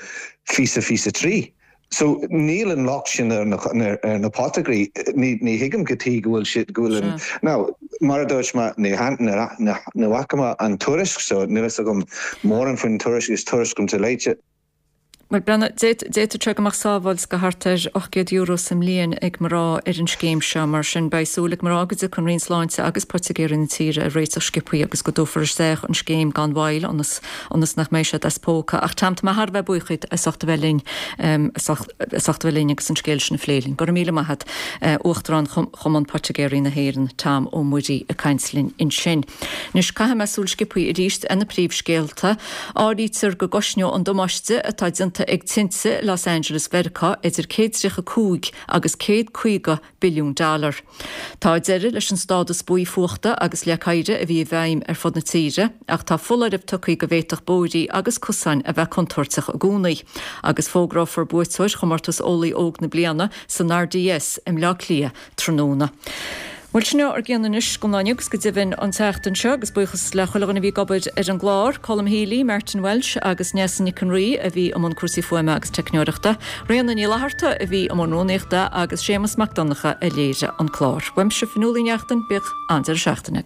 fiche fiche trí. So níl an locht sin ar na ar na potagairí. Ní ní thuigim cad chuige go bhfuil siad go bhfuil an Now mar a dúirt mé ní ní bhfaca mé an tuairisc so níl fhios agam mórán faoin tuairisc is tuairisc atá léite. Bhuel, Breandán, d'fhéadfadh sé go mbeadh sábháil go thart ar ocht gcéad euro sa mbliain ag mná ar an scéim seo. Mar sin, beidh súil ag mná go dtiocfaidh an Roinn Sláinte agus poitigéirí na tíre ar réiteach sciobthaí agus go dtabharfar isteach an scéim gan mhoill ionas ionas nach mbeidh siad as póca. Ach Tom, tá mé thar a bheith buíoch díot as ucht a bheith linn as ucht a bheith linn agus an scéal sin a phlé linn. Go raibh míle maith agat, Uachtarán Chumann Poitigéirí na hÉireann, Tom Ó Muirí ag caint linn ansin. Anois, caithfidh mé súil sciobthaí arís ar na príomhscéalta. Áirítear go gcosnóidh an damáiste atá déanta ag tinte Los Angeles Mheiriceá idir céad tríocha cúig agus céad caoga billiún dollar. Tá deireadh leis an stádas buí fuachta agus leac oighir a bhí i bhfeidhm ar fud na tíre, ach tá foláireamh tugtha go bhféadfadh bóithrí agus cosáin a bheith contúirteach i gcónaí. Agus fógrófar buaiteoir chomórtas Eolaí Óg na Bliana san RDS i mBleá Cliath tráthnóna. Bhuel, sin ár gcion anois don lá inniu agus go deimhin an tseachtain seo agus buíochas le chuile dhuine a bhí ag obair ar an gclár, Colm Healy, Martin Walsh agus Neasa Nic an Rí a bhí i mbun cúrsaí fuaime agus teicneoireachta, Ríona Ní Fhlatharta a bhí i mbun rúnaíochta agus Séamus Mac Donncha a léirigh an clár. Uaimse Fionnuala Ní Neachtain, bíodh an-deireadh seachtaine agaibh.